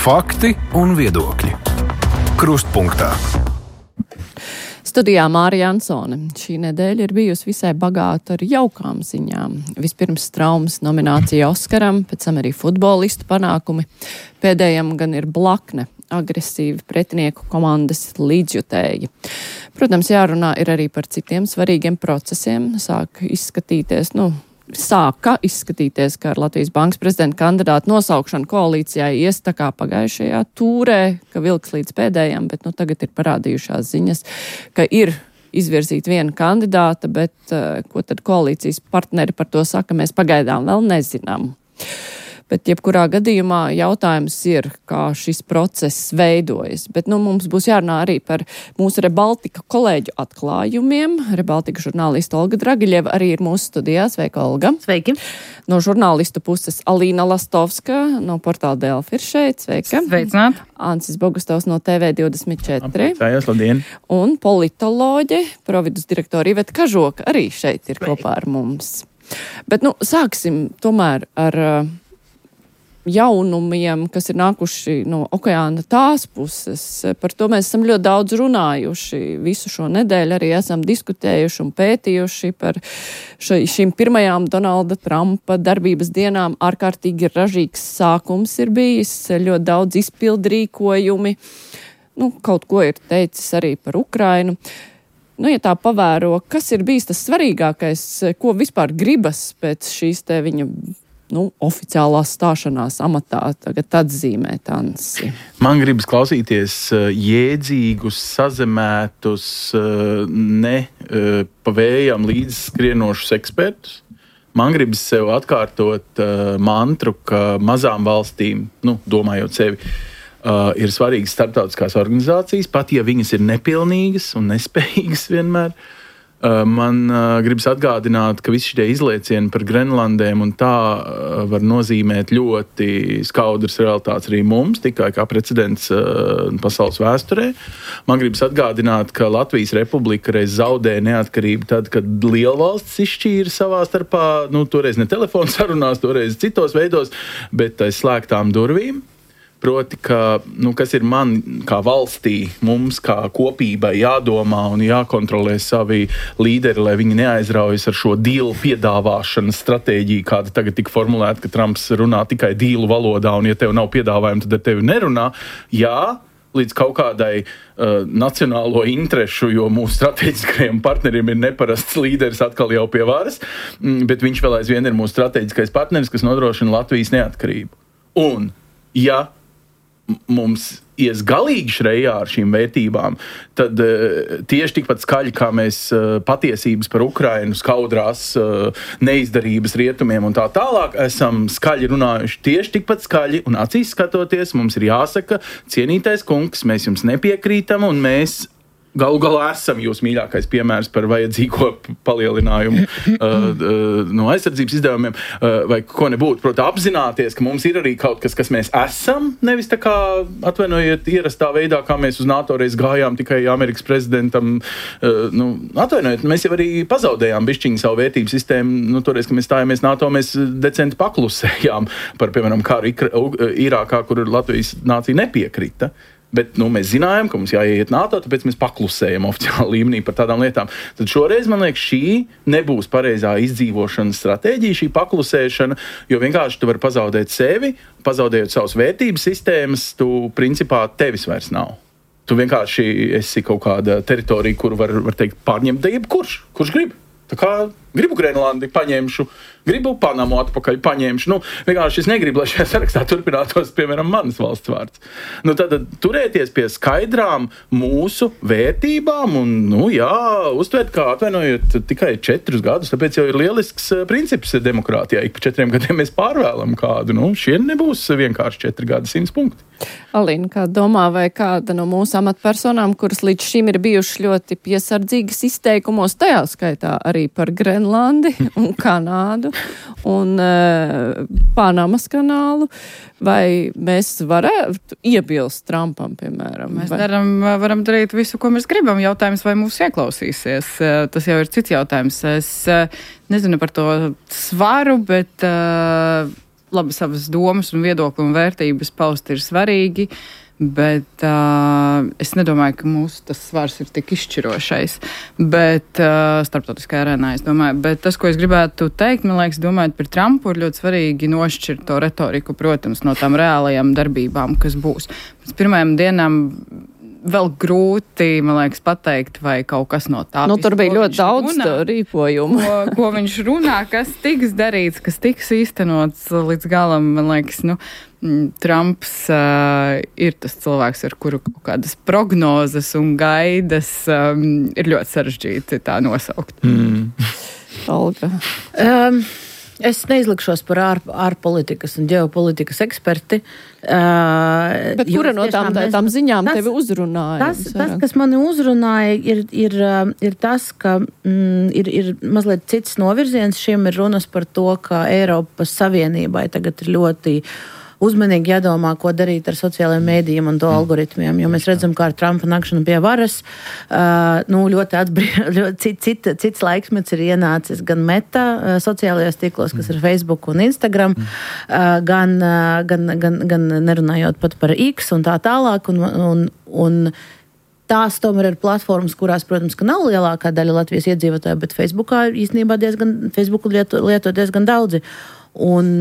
Fakti un viedokļi. Krustpunktā. Studijā Mārija Ansone. Šī nedēļa ir bijusi visai bagāta ar jaukām ziņām. Vispirms traumas nominācija Oskaram, pēc tam arī futbolistu panākumi. Pēdējam gan ir blakne, agresīvi pretinieku komandas līdzjutēji. Protams, jārunā ir arī par citiem svarīgiem procesiem. Sāka izskatīties, ka ar Latvijas Bankas prezidenta kandidātu nosaukšanu koalīcijai ies tā kā pagājušajā tūrē, ka vilks līdz pēdējam, bet tagad ir parādījušās ziņas, ka ir izvirzīta viena kandidāta, bet ko tad koalīcijas partneri par to saka, mēs pagaidām vēl nezinām. Bet jebkurā gadījumā jautājums ir, kā šis process veidojas. Bet mums būs jārunā arī par mūsu Rebaltika kolēģu atklājumiem. Rebaltika žurnālista Olga Dragiļeva arī ir mūsu studijā. Sveika, Olga. Sveiki. No žurnālistu puses Alīna Lastovska no portāla Delfi ir šeit. Sveika. Sveicināt. Ansis Bogustovs no TV24. Priecājos, labdien. Un politoloģe, providus direktora Iveta Kažoka arī šeit ir kopā ar mums. Bet sāksim tomēr ar jaunumiem, kas ir nākuši no okeāna tās puses. Par to mēs esam ļoti daudz runājuši visu šo nedēļu, arī esam diskutējuši un pētījuši par šīm pirmajām Donalda Trumpa darbības dienām. Ārkārtīgi ražīgs sākums ir bijis, ļoti daudz izpildrīkojumi. Kaut ko ir teicis arī par Ukrainu. Ja tā pavēro, kas ir bijis tas svarīgākais, ko vispār gribas pēc šīs te viņa oficiālās stāšanās amatā tagad atzīmēt, Ansi? Man gribas klausīties jēdzīgus, sazemētus, ne pa vējām līdzskrienošus ekspertus. Man gribas sev atkārtot mantru, ka mazām valstīm, domājot sevi, ir svarīgas starptautiskās organizācijas, pat ja viņas ir nepilnīgas un nespējīgas vienmēr. Man gribas atgādināt, ka visi šie izliecieni par Grenlandēm un tā var nozīmēt ļoti skaudras realitātes arī mums, tikai kā precedents pasaules vēsturē. Man gribas atgādināt, ka Latvijas Republika reiz zaudēja neatkarību tad, kad lielvalstis izšķīra savā starpā, toreiz ne telefonu sarunās, toreiz citos veidos, bet aiz slēgtām durvīm. Proti, kas ir man kā valstī, mums kā kopībai jādomā un jākontrolē savi līderi, lai viņi neaizraujas ar šo dīlu piedāvāšanas stratēģiju, kāda tagad tika formulēta, ka Trumps runā tikai dīlu valodā, un ja tev nav piedāvājuma, tad ar tevi nerunā. Jā, līdz kaut kādai nacionālo interešu, jo mūsu strateģiskajiem partneriem ir neparasts līderis atkal jau pie varas, bet viņš vēl aizvien ir mūsu strateģiskais partneris, kas nodrošina Latvijas neatkarību. Un, ja mums ies galīgi šrejā ar šīm vērtībām, tad tieši tikpat skaļi, kā mēs patiesības par Ukrainu skaudrās neizdarības rietumiem un tā tālāk, esam skaļi runājuši tieši tikpat skaļi un acīs skatoties, mums ir jāsaka, cienītais kungs, mēs jums nepiekrītam un mēs galu galā esam jūs mīļākais piemērs par vajadzīgo palielinājumu no aizsardzības izdevumiem vai ko nebūtu. Proti, apzināties, ka mums ir arī kaut kas mēs esam, nevis tā kā, atvainojiet, ierastā veidā, kā mēs uz NATO reiz gājām tikai Amerikas prezidentam. Atvainojiet, mēs jau arī pazaudējām bišķiņu savu vērtību sistēmu. Toreiz, kad mēs stājāmies NATO, mēs decenti paklusējām par, piemēram, kāru Irākā, kur Latvijas nācija nepiekrita. Bet mēs zinājām, ka mums jāiet NATO, tāpēc mēs paklusējam oficiāli līmenī par tādām lietām. Tad šoreiz, man liekas, šī nebūs pareizā izdzīvošanas stratēģija, šī paklusēšana, jo vienkārši tu vari pazaudēt sevi, pazaudējot savas vērtības sistēmas, tu principā tevis vairs nav. Tu vienkārši esi kaut kāda teritorija, kuru var teikt pārņemt kurš grib. Tā kā gribu Grenlandi, paņemšu, gribu Panamu atpakaļ, paņemšu. Vienkārši es negribu, lai šajā sarakstā turpinātos, piemēram, manas valsts vārds. Tad turēties pie skaidrām mūsu vērtībām un, uztvērt, kā atvainojot tikai 4 gadus, tāpēc jau ir lielisks princips demokrātijā. Ik pa 4 gadiem mēs pārvēlam kādu. Šie nebūs vienkārši 4 gadi 100 punkti. Alīna, kā domā, vai kāda no mūsu amatpersonām, kuras līdz šim ir bijušas ļoti piesardzīgas izteikumos, tajā skaitā arī par Grenlandi un Kanādu un Panamas kanālu, vai mēs varētu iebilst Trumpam, piemēram? Mēs varam darīt visu, ko mēs gribam. Jautājums, vai mūs ieklausīsies. Tas jau ir cits jautājums. Es nezinu par to svaru, bet labi savas domas un viedokļu un vērtības paust ir svarīgi, bet es nedomāju, ka mūsu tas svars ir tik izšķirošais, bet starptautiskajā arēnā, es domāju. Bet tas, ko es gribētu teikt, man liekas, domājot par Trumpu, ir ļoti svarīgi nošķirt to retoriku, protams, no tām reālajām darbībām, kas būs. Pēc pirmajām dienām vēl grūti, man liekas, pateikt, vai kaut kas no tā. Tur bija ļoti daudz rīpojumu. Ko viņš runā, kas tiks darīts, kas tiks īstenots līdz galam, man liekas, Trumps ir tas cilvēks, ar kuru kaut kādas prognozes un gaidas ir ļoti sarežģīti tā nosaukt. Olga. Es neizlikšos par ārpolitikas un ģeopolitikas eksperti. Bet kura no tām ziņām tevi uzrunāja? Tas, kas mani uzrunāja, ir tas, ka ir mazliet cits novirziens. Šiem ir runas par to, ka Eiropas Savienībai tagad ir ļoti uzmanīgi jādomā, ko darīt ar sociālajiem mēdījiem un to algoritmiem, jo mēs redzam, kā ar Trumpa nakšanu pie varas, ļoti cits laikmets ir ienācis gan Meta sociālajos tīklos, kas ir Facebook un Instagram, gan nerunājot pat par X un tā tālāk, un tās tomēr ir platformas, kurās, protams, ka nav lielākā daļa Latvijas iedzīvotāju, bet Facebookā īstenībā Facebooku lieto diezgan daudzi. Un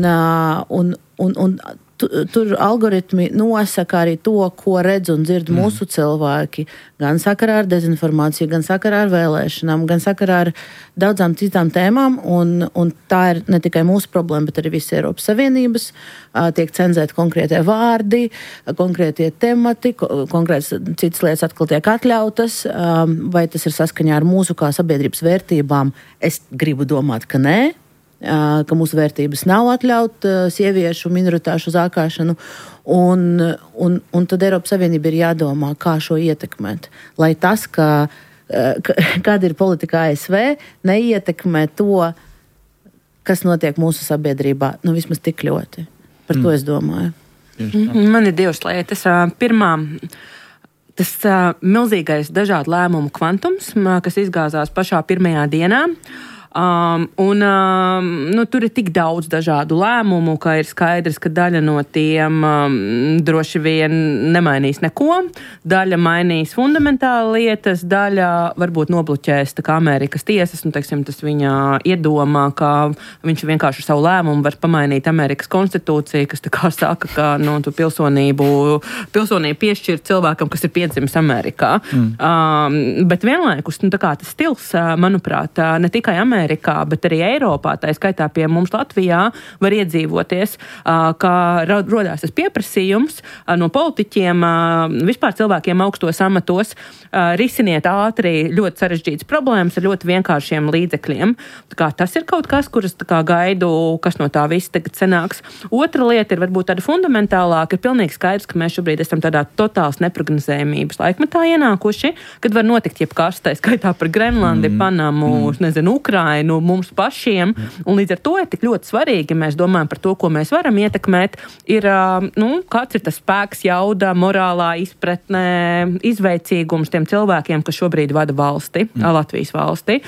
tur algoritmi nosaka arī to, ko redz un dzird mūsu cilvēki, gan sakarā ar dezinformāciju, gan sakarā ar vēlēšanām, gan sakarā ar daudzām citām tēmām, un tā ir ne tikai mūsu problēma, bet arī visa Eiropas Savienības. Tiek cenzēti konkrētie vārdi, konkrētie temati, konkrētas citas lietas atkal tiek atļautas, vai tas ir saskaņā ar mūsu kā sabiedrības vērtībām. Es gribu domāt, ka nē. Ka mūsu vērtības nav atļaut sieviešu minoritāšu zākāšanu, un tad Eiropas Savienība ir jādomā, kā šo ietekmēt. Lai tas, kāda ir politika ASV, neietekmē to, kas notiek mūsu sabiedrībā, vismaz tik ļoti. Par to es domāju. Man ir divas lietas. Pirmā, tas milzīgais dažādu lēmumu kvantums, kas izgāzās pašā pirmajā dienā. Tur ir tik daudz dažādu lēmumu, ka ir skaidrs, ka daļa no tiem droši vien nemainīs neko, daļa mainīs fundamentāli lietas, daļa varbūt nobloķēs tā kā Amerikas tiesas, tas viņa iedomā, ka viņš vienkārši savu lēmumu var pamainīt Amerikas konstitūciju, kas tā kā saka, ka tu pilsonību piešķir cilvēkam, kas ir piedzimis Amerikā. Bet vienlaikus, tas stils, manuprāt, ne tikai Amerikā, bet arī Eiropā, tā skaitā pie mums Latvijā, var iedzīvoties, ka rodās tas pieprasījums no politiķiem, vispār cilvēkiem augstos amatos, risiniet ātri ļoti sarežģītas problēmas ar ļoti vienkāršiem līdzekļiem. Tas ir kaut kas, kuras gaidu, kas no tā viss tagad sanāks. Otra lieta ir varbūt tāda fundamentālāka, ir pilnīgi skaidrs, ka mēs šobrīd esam tādā totāls neprognozējumības laikmetā ienākuši, kad var notikt jebkas, tā skaitā par Grenlandi, Panamu, Ukrainu, mums pašiem, un līdz ar to ir tik ļoti svarīgi, mēs domājam par to, ko mēs varam ietekmēt, ir, kāds ir tas spēks, jauda, morālā izpratne, izveicīgums tiem cilvēkiem, kas šobrīd vada valsti, Latvijas valsti,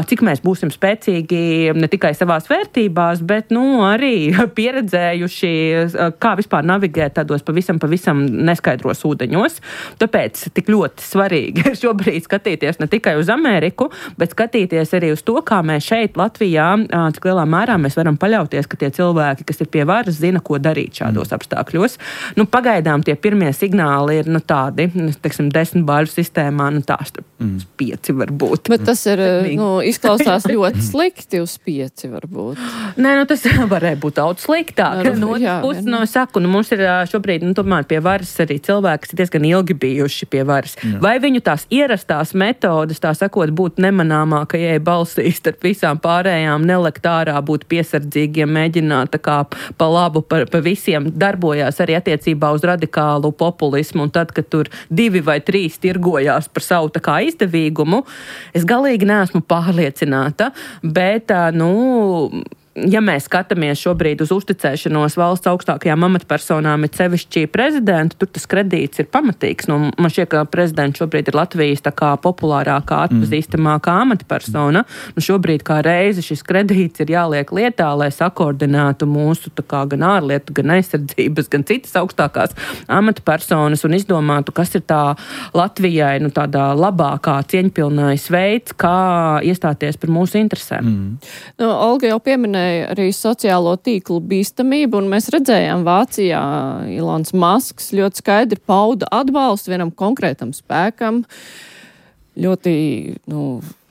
cik mēs būsim spēcīgi ne tikai savās vērtībās, bet, arī pieredzējuši, kā vispār navigēt tādos pavisam neskaidros ūdeņos. Tāpēc tik ļoti svarīgi ir šobrīd skatīties ne tikai uz Ameriku, bet skatīties arī uz to, kā mēs šeit Latvijā, cik lielā mērā mēs varam paļauties, ka tie cilvēki, kas ir pie varas, zina, ko darīt šādos apstākļos. Pagaidām tie pirmie signāli ir, tādi, 10 bāļu sistēmā, tās 5 varbūt. Bet tas ir, izklausās ļoti slikti uz 5 varbūt. Nē, tas varēja būt daudz sliktāk. Saku, mums ir šobrīd, tomēr pie varas arī cilvēki, kas ir diezgan ilgi bijuši pie varas. Vai viņu tās ierastās metodas, tā sakot, būt nemanāmākajai balsīs starp visām pārējām, nelekt ārā, būt piesardzīgiem, mēģināt pa labu pa visiem, darbojās arī attiecībā uz radikālu populismu, un tad, kad tur 2 vai 3 tirgojās par savu izdevīgumu, es galīgi neesmu pārliecināta, bet, ja mēs skatāmies šobrīd uz uzticēšanos valsts augstākajām amatpersonām, ir sevišķi prezidentu, tur tas kredīts ir pamatīgs. Nu, man šķiet, ka prezidents šobrīd ir Latvijas tā kā populārākā, atpazīstamākā amatpersona. Nu, šobrīd kā reizi šis kredīts ir jāliek lietā, lai sakoordinētu mūsu tā kā gan ārlietu, gan aizsardzības, gan citas augstākās amatpersonas un izdomātu, kas ir tā Latvijai nu, tādā labākā, cieņpilnais veids, kā iestāties par mūsu interesēm. Nu, Olga jau pieminēja arī sociālo tīklu bīstamību, un mēs redzējām Vācijā Ilons Masks ļoti skaidri pauda atbalstu vienam konkrētam spēkam, ļoti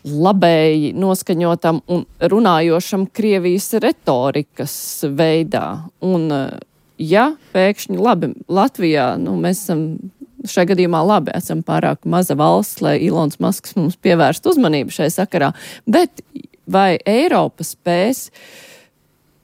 labēji noskaņotam un runājošam Krievijas retorikas veidā. Un ja pēkšņi labi Latvijā, mēs esam šajā gadījumā labi, esam pārāk maza valsts, lai Ilons Masks mums pievērst uzmanību šai sakarā, bet vai Eiropa spēs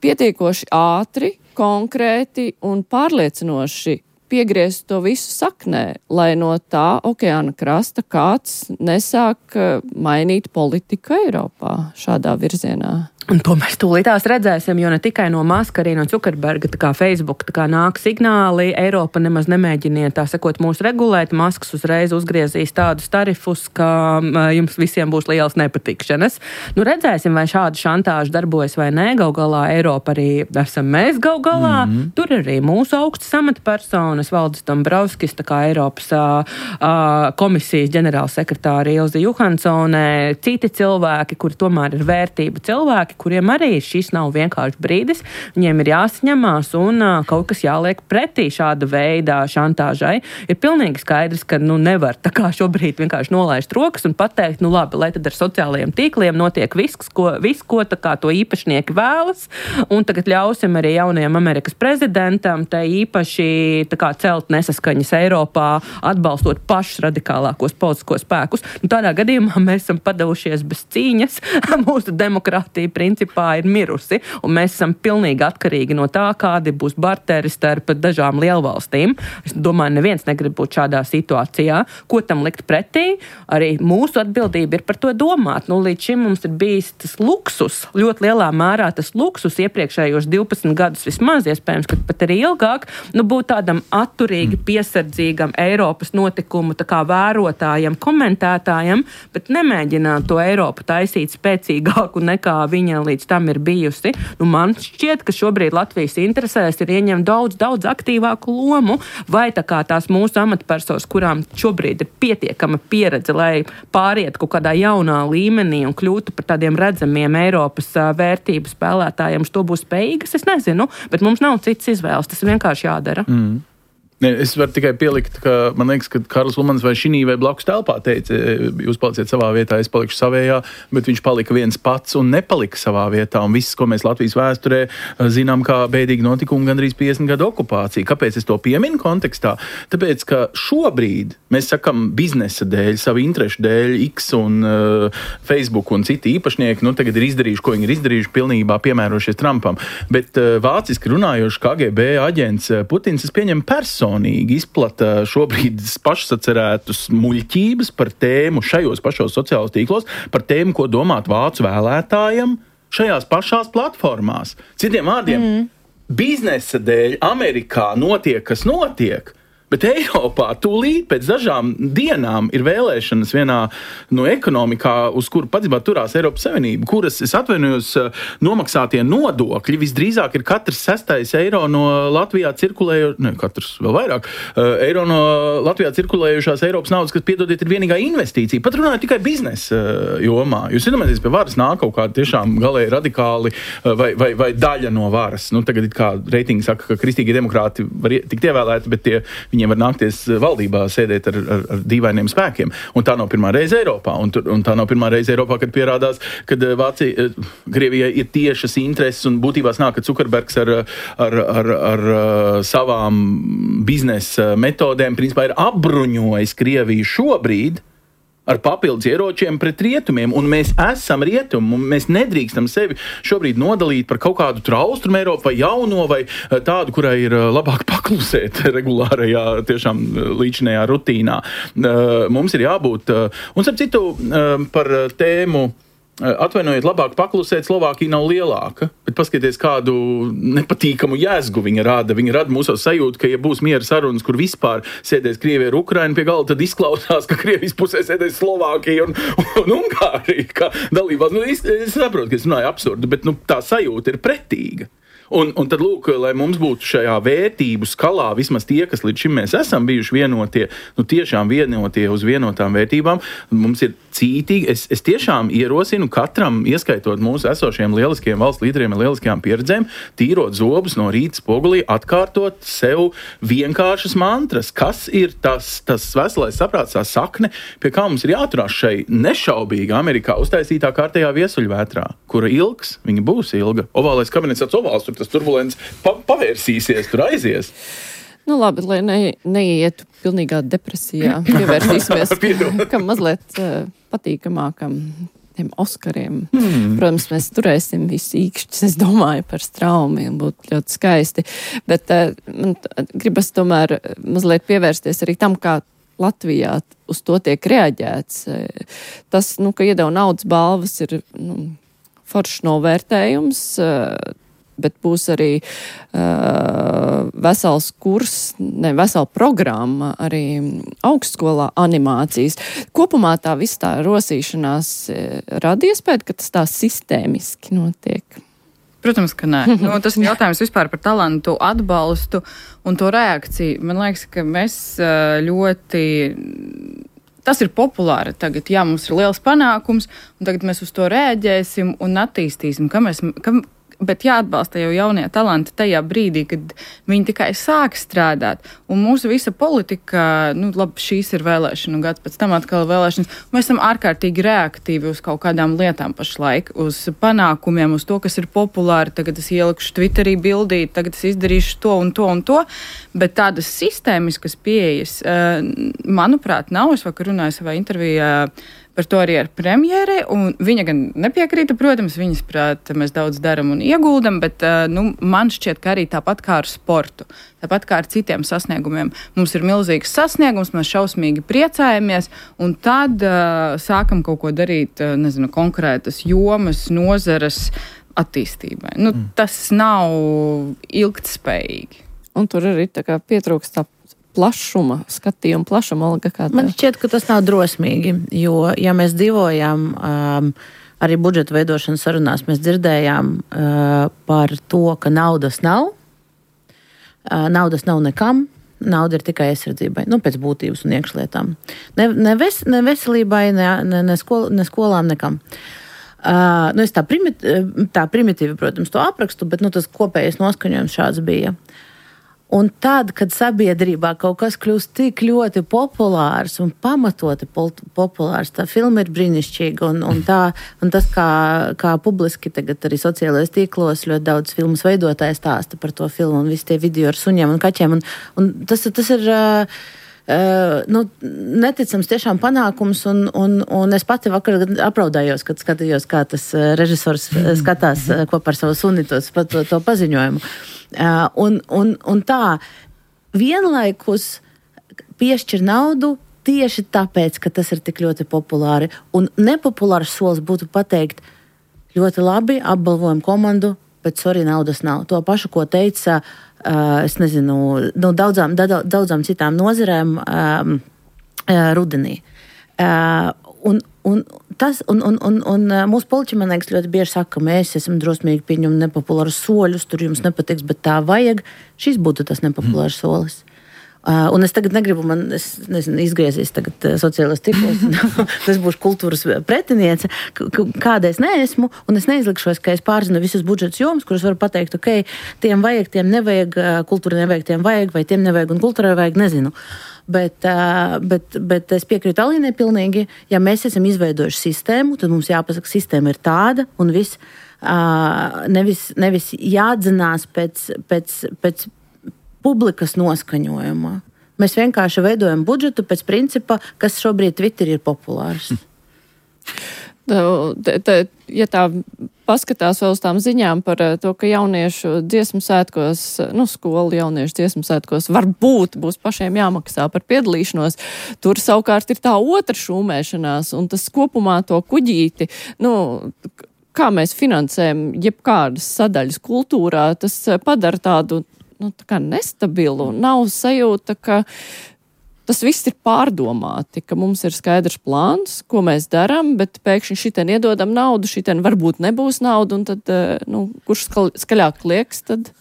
pietiekoši ātri, konkrēti un pārliecinoši piegriezt to visu saknē, lai no tā okeāna krasta kāds nesāk mainīt politiku Eiropā šādā virzienā? Un to mēs tūlītās redzēsim, jo ne tikai no Maska, arī no Zuckerberga, tā kā Facebook, tā kā nāk signāli, Eiropa nemaz nemēģiniet, tā sakot, mūs regulēt, Masks uzreiz uzgriezīs tādus tarifus, ka jums visiem būs liels nepatikšanas. Nu, redzēsim, vai šāda šantāža darbojas vai nē, gal galā Eiropa arī esam mēs gal galā, tur arī mūsu augstas amatpersonas, Valdis Dombrovskis, tā kā Eiropas komisijas ģenerālsekretāra Ilze Johansone, citi cilvēki, kuri tomēr ir vērtību cilvēki, kuriem arī šis nav vienkārši brīdis, viņiem ir jāsaņemās un kaut kas jāliek pretī šāda veida šantāžai. Ir pilnīgi skaidrs, ka nevar tā kā šobrīd vienkārši nolaist rokas un pateikt, labi, lai tad ar sociālajiem tīkliem notiek viss, ko tā kā to īpašnieki vēlas, un tagad ļausim arī jaunajam Amerikas prezidentam te īpaši tā kā celt nesaskaņas Eiropā, atbalstot pašus radikālākos politiskos spēkus. Tādā gadījumā mēs esam padavušies bez cīņas, mūsu demokrātija principā ir mirusi, un mēs esam pilnīgi atkarīgi no tā, kādi būs barteri starp dažām lielvalstīm. Es domāju, neviens negrib būt šādā situācijā. Ko tam likt pretī? Arī mūsu atbildība ir par to domāt. Līdz šim mums ir bijis tas luksus, ļoti lielā mērā tas luksus iepriekšējos 12 gadus vismaz, iespējams, ka pat arī ilgāk, būt tādam atturīgi, piesardzīgam Eiropas notikumu tā kā vērotājam, komentētājam, bet nemēģināt to Eiropu taisīt spēcīgāku nekā viņa līdz tam ir bijusi. Man šķiet, ka šobrīd Latvijas interesēs ir ieņemt daudz aktīvāku lomu, vai tā kā tās mūsu amatpersonas, kurām šobrīd ir pietiekama pieredze, lai pāriet kaut kādā jaunā līmenī un kļūtu par tādiem redzamiem Eiropas vērtību spēlētājiem, to būs spējīgas, es nezinu, bet mums nav cits izvēles, tas vienkārši jādara. Es varu tikai pielikt, ka man liekas, ka Karls Ulmans vai šinī vai blakus telpā teica, jūs paliciet savā vietā, es palikšu savējā, bet viņš palika viens pats un nepalika savā vietā. Un viss, ko mēs Latvijas vēsturē zinām, kā bēdīgi notikumi gandrīz 50 gadu okupācija. Kāpēc es to pieminu kontekstā? Tāpēc, ka šobrīd mēs sakam biznesa dēļ, savu interešu dēļ, X un Facebook un citi īpašnieki, tagad ir izdarījuši, ko viņi ir izdarījuši, pilnībā piemērošies Trumpam. Bet vāciski runājoši KGB aģents Putins, es pieņemu personīgi izplata šobrīd pašsacerētus muļķības par tēmu šajos pašos sociālos tīklos, par tēmu, ko domāt vācu vēlētājiem šajās pašās platformās. Citiem vārdiem, biznesa dēļ Amerikā notiek, kas notiek, bet Eiropā tūlīt pēc dažām dienām ir vēlēšanas vienā ekonomikā, uz kuru patiesībā turās Eiropas Savienība, kuras, es atvainojos, nomaksātie nodokļi visdrīzāk ir katrs 6. eiro no Latvijā katrs vēl vairāk, eiro no Latvijā cirkulējušās Eiropas naudas, kas, piedodiet, ir vienīgā investīcija. Pat runājot tikai biznesa jomā. Jūs iedomājaties, pie varas nāk kaut kādi tiešām galēji radikāli vai daļa no varas. Tagad it kā reitingi saka, ka kristīgie demokrāti var tikt ievēlēti, bet viņiem var nākties valdībā sēdēt ar dīvainiem spēkiem. Un tā nav pirmā reize Eiropā. Un tā nav pirmā reize Eiropā, kad pierādās, kad Krievijai ir tiešas intereses un būtībā nāk, ka Zuckerbergs ar savām biznesa metodēm principā ir apbruņojis Krieviju šobrīd ar papildus ieročiem pret rietumiem, un mēs esam rietumi, un mēs nedrīkstam sevi šobrīd nodalīt par kaut kādu austrumu Eiropu vai jauno, vai tādu, kurai ir labāk paklusēt regulārajā, tiešām līdzinējā rutīnā. Mums ir jābūt, un starp citu par tēmu Atvainojiet, labāk paklusēt, Slovākija nav lielāka, bet paskatieties, kādu nepatīkamu jēzgu viņa rada. Viņa rada mūsu sajūtu, ka, ja būs miera sarunas, kur vispār sēdēs Krievija ar Ukrainu pie galda, tad izklausās, ka Krievijas pusē sēdēs Slovākija un Ungārija, kā dalībās. Es saprotu, ka es runāju absurdu, bet tā sajūta ir pretīga. Un tad, lūk, lai mums būtu šajā vērtību skalā vismaz tie, kas līdz šim mēs esam bijuši vienotie, tiešām vienotie uz vienotām vērtībām, mums ir cītīgi. Es tiešām ierosinu katram, ieskaitot mūsu esošiem lieliskiem valsts līderiem ar lieliskajām pieredzēm, tīrot zobus no rīta spogulī, atkārtot sev vienkāršas mantras, kas ir tas veselais saprāts, tā sakne, pie kā mums ir jāturās šai nešaubīgi Amerikā uztaisītā kārtējā viesuļvētrā, kura ilgs, viņa būs ilga. Ovālais kabinets tāds ovāls, tas turbulents pavērsīsies, tur aizies. Labi, lai neietu pilnīgā depresijā, pievērsīsimies kam mazliet patīkamākam tiem Oskariem. Protams, mēs turēsim visu īkšķus, es domāju, par Straumi, un būtu ļoti skaisti, bet man gribas tomēr mazliet pievērsties arī tam, kā Latvijā uz to tiek reaģēts. Tas, ka iedeva naudas balvas, ir foršs novērtējums, bet būs arī vesels kurs, vesela programma arī augstskolā animācijas. Kopumā tā viss tā rosīšanās rada iespēju, ka tas tā sistēmiski notiek. Protams, ka nē. Tas ir jautājums vispār par talantu atbalstu un to reakciju. Man liekas, ka mēs ļoti... Tas ir populāri tagad. Jā, mums ir liels panākums, un tagad mēs uz to reaģēsim un attīstīsim. Bet jāatbalsta jau jaunie talanti tajā brīdī, kad viņi tikai sāk strādāt. Un mūsu visa politika, labi, šīs ir vēlēšana gads, pēc tam atkal vēlēšanas. Mēs esam ārkārtīgi reaktīvi uz kaut kādām lietām pašlaik, uz panākumiem, uz to, kas ir populāri. Tagad es ielikšu Twitterī bildīt, tagad es izdarīšu to un to un to. Bet tādas sistēmiskas pieejas, manuprāt, nav. Es vakar runāju savā intervijā par to arī ar premjeri, un viņa gan nepiekrīta, protams, viņas prāt, mēs daudz daram un ieguldam, bet man šķiet, ka arī tāpat kā ar sportu, tāpat kā ar citiem sasniegumiem. Mums ir milzīgs sasniegums, mēs šausmīgi priecājamies, un tad sākam kaut ko darīt, konkrētas jomas, nozares attīstībai. Tas nav ilgtspējīgi. Un tur arī tā kā pietrūkst tā plašuma, skatījuma plašuma, Olga, kā tā? Man šķiet, ka tas nav drosmīgi, jo, ja mēs dzīvojam arī budžeta veidošanas sarunās, mēs dzirdējām par to, ka naudas nav nekam, nauda ir tikai aizsardzībai, pēc būtības un iekšlietām. Ne veselībai, ne skolām, nekam. Es tā primitīvi, protams, to aprakstu, bet tas kopējais noskaņojums šāds bija. Un tad, kad sabiedrībā kaut kas kļūst tik ļoti populārs un pamatoti populārs, tā filma ir brīnišķīga, un tas, kā publiski tagad arī sociālajos tīklos ļoti daudz filmas veidotāji stāsta par to filmu un visi tie video ar suņiem un kaķiem, un tas ir... neticams tiešām panākums, un es pati vakar apraudājos, kad skatījos, kā tas režisors skatās kopā ar savu suni to paziņojumu. Un tā vienlaikus piešķir naudu tieši tāpēc, ka tas ir tik ļoti populāri. Un nepopulārs solis būtu pateikt ļoti labi, apbalvojam komandu, bet naudas nav. To pašu, ko teica es nezinu, daudzām citām nozarēm rudenī. Un mūsu politiķi, man liekas, ļoti bieži saka, ka mēs esam drosmīgi pieņem nepopulārus soļus, tur jums nepatiks, bet tā vajag. Šis būtu tas nepopulārs solis. Un es tagad negribu, izgriezīs tagad sociālos tīklos, es būšu kultūras pretiniece, kāda es neesmu, un es neizlikšos, ka es pārzinu visas budžetas jomas, kuras varu pateikt, ok, tiem vajag, tiem nevajag, kultūra nevajag, tiem vajag, vai tiem nevajag, un kultūrai vajag, nezinu. Bet es piekrītu Alīnai pilnīgi, ja mēs esam izveidojuši sistēmu, tad mums jāpasaka, sistēma ir tāda, un viss nevis jādzinās pēc publikas noskaņojumā. Mēs vienkārši veidojam budžetu pēc principa, kas šobrīd Twitter ir populārs. Ja tā paskatās vēl uz tām ziņām par to, ka jauniešu dziesmu svētkos, skolu jauniešu dziesmu svētkos varbūt būs pašiem jāmaksā par piedalīšanos, tur savukārt ir tā otra šūmēšanās, un tas kopumā to kuģīti, kā mēs finansējam jebkādas sadaļas kultūrā, tas padara tādu, tā kā nestabilu, nav sajūta, ka tas viss ir pārdomāti, ka mums ir skaidrs plāns, ko mēs darām, bet pēkšņi šitien iedodam naudu, šitien varbūt nebūs naudu, un tad, kurš skaļāk lieks, tad...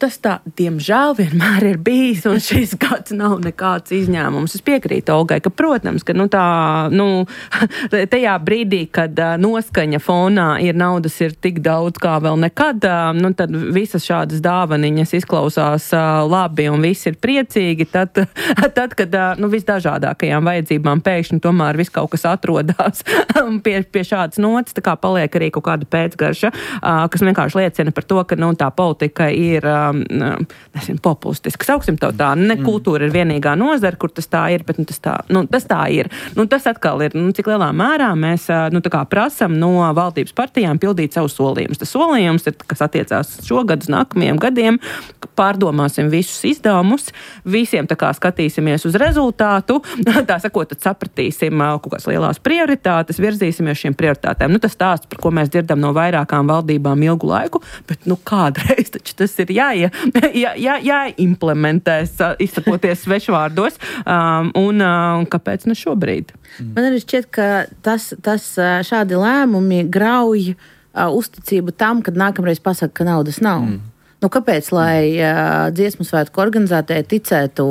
Tas tā, diemžēl, vienmēr ir bijis, un šis gads nav nekāds izņēmums. Es piekrītu Olgai, ka, protams, ka tajā brīdī, kad noskaņa fonā naudas ir tik daudz kā vēl nekad, tad visas šādas dāvaniņas izklausās labi un visi ir priecīgi, tad kad visdažādākajām vajadzībām pēkšņi tomēr viss kaut kas atrodās pie šādas notas, tā kā paliek arī kaut kāda pēcgarša, kas vienkārši liecina par to, ka tā politika ir populistiski. Sauksim to tā, ne kultūra ir vienīgā nozara, kur tas tā ir, bet tas tā ir. Tas atkal ir, cik lielā mērā mēs tā kā prasam no valdības partijām pildīt savus solījumus. Tas solījums ir, kas attiecās šogad uz nākamajiem gadiem, pārdomāsim visus izdevumus, visiem tā kā skatīsimies uz rezultātu, tā sakot, tad sapratīsim kaut kādas lielās prioritātes, virzīsimies šiem prioritātēm. Tas stāsts, par ko mēs dzirdam no vairākām valdībām ilgu laiku, bet kādreiz taču tas ir jāimplementēs, izsakoties svešvārdos, un kāpēc ne šobrīd? Man arī šķiet, ka tas šādi lēmumi grauj uzticību tam, kad nākamreiz pasaka, ka naudas nav. Kāpēc, lai dziesmu svētku organizētāji ticētu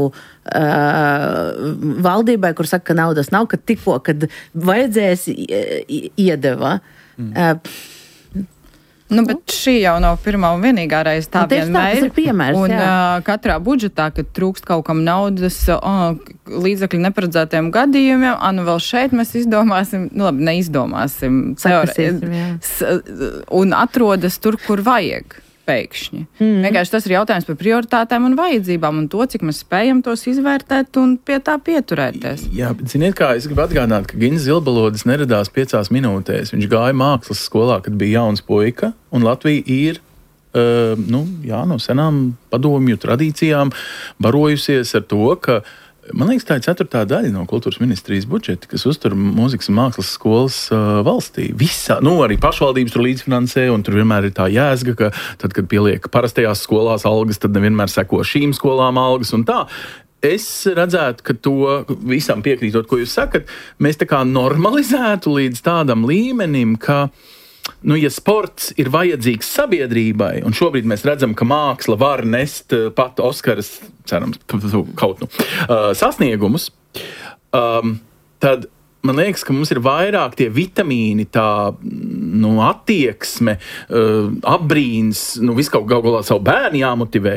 valdībai, kur saka, ka naudas nav, kad tikko, kad vajadzēs iedeva? Bet šī jau nav pirmā un vienīgā reize, tā vienmēr ir piemērs. Un katrā budžetā, kad trūkst kaut kam naudas, līdzekļu neparedzētiem gadījumiem, vēl šeit mēs izdomāsim, neizdomāsim, un atrodas tur, kur vajag. Pēkšņi. Vienkārši tas ir jautājums par prioritātēm un vajadzībām un to, cik mēs spējam tos izvērtēt un pie tā pieturēties. Jā, bet ziniet kā, es gribu atgādināt, ka Gins Zilbalodis neradās 5 minūtēs. Viņš gāja mākslas skolā, kad bija jauns puika, un Latvija ir no senām padomju tradīcijām barojusies ar to, ka man liekas, tā ir 4. daļa no kultūras ministrijas budžeta, kas uztur mūzikas un mākslas skolas valstī. Visā, arī pašvaldības tur līdzfinansē, un tur vienmēr ir tā jēzga, ka tad, kad pieliek parastajās skolās algas, tad nevienmēr seko šīm skolām algas un tā. Es redzētu, ka to visam piekrītot, ko jūs sakat, mēs tā kā normalizētu līdz tādam līmenim, ka ja sports ir vajadzīgs sabiedrībai, un šobrīd mēs redzam, ka māksla var nest pat Oskaras, cerams, sasniegumus, tad man liekas, ka mums ir vairāk tie vitamīni, tā attieksme, apbrīns, visu kaut galā savu bērnu jāmotivē,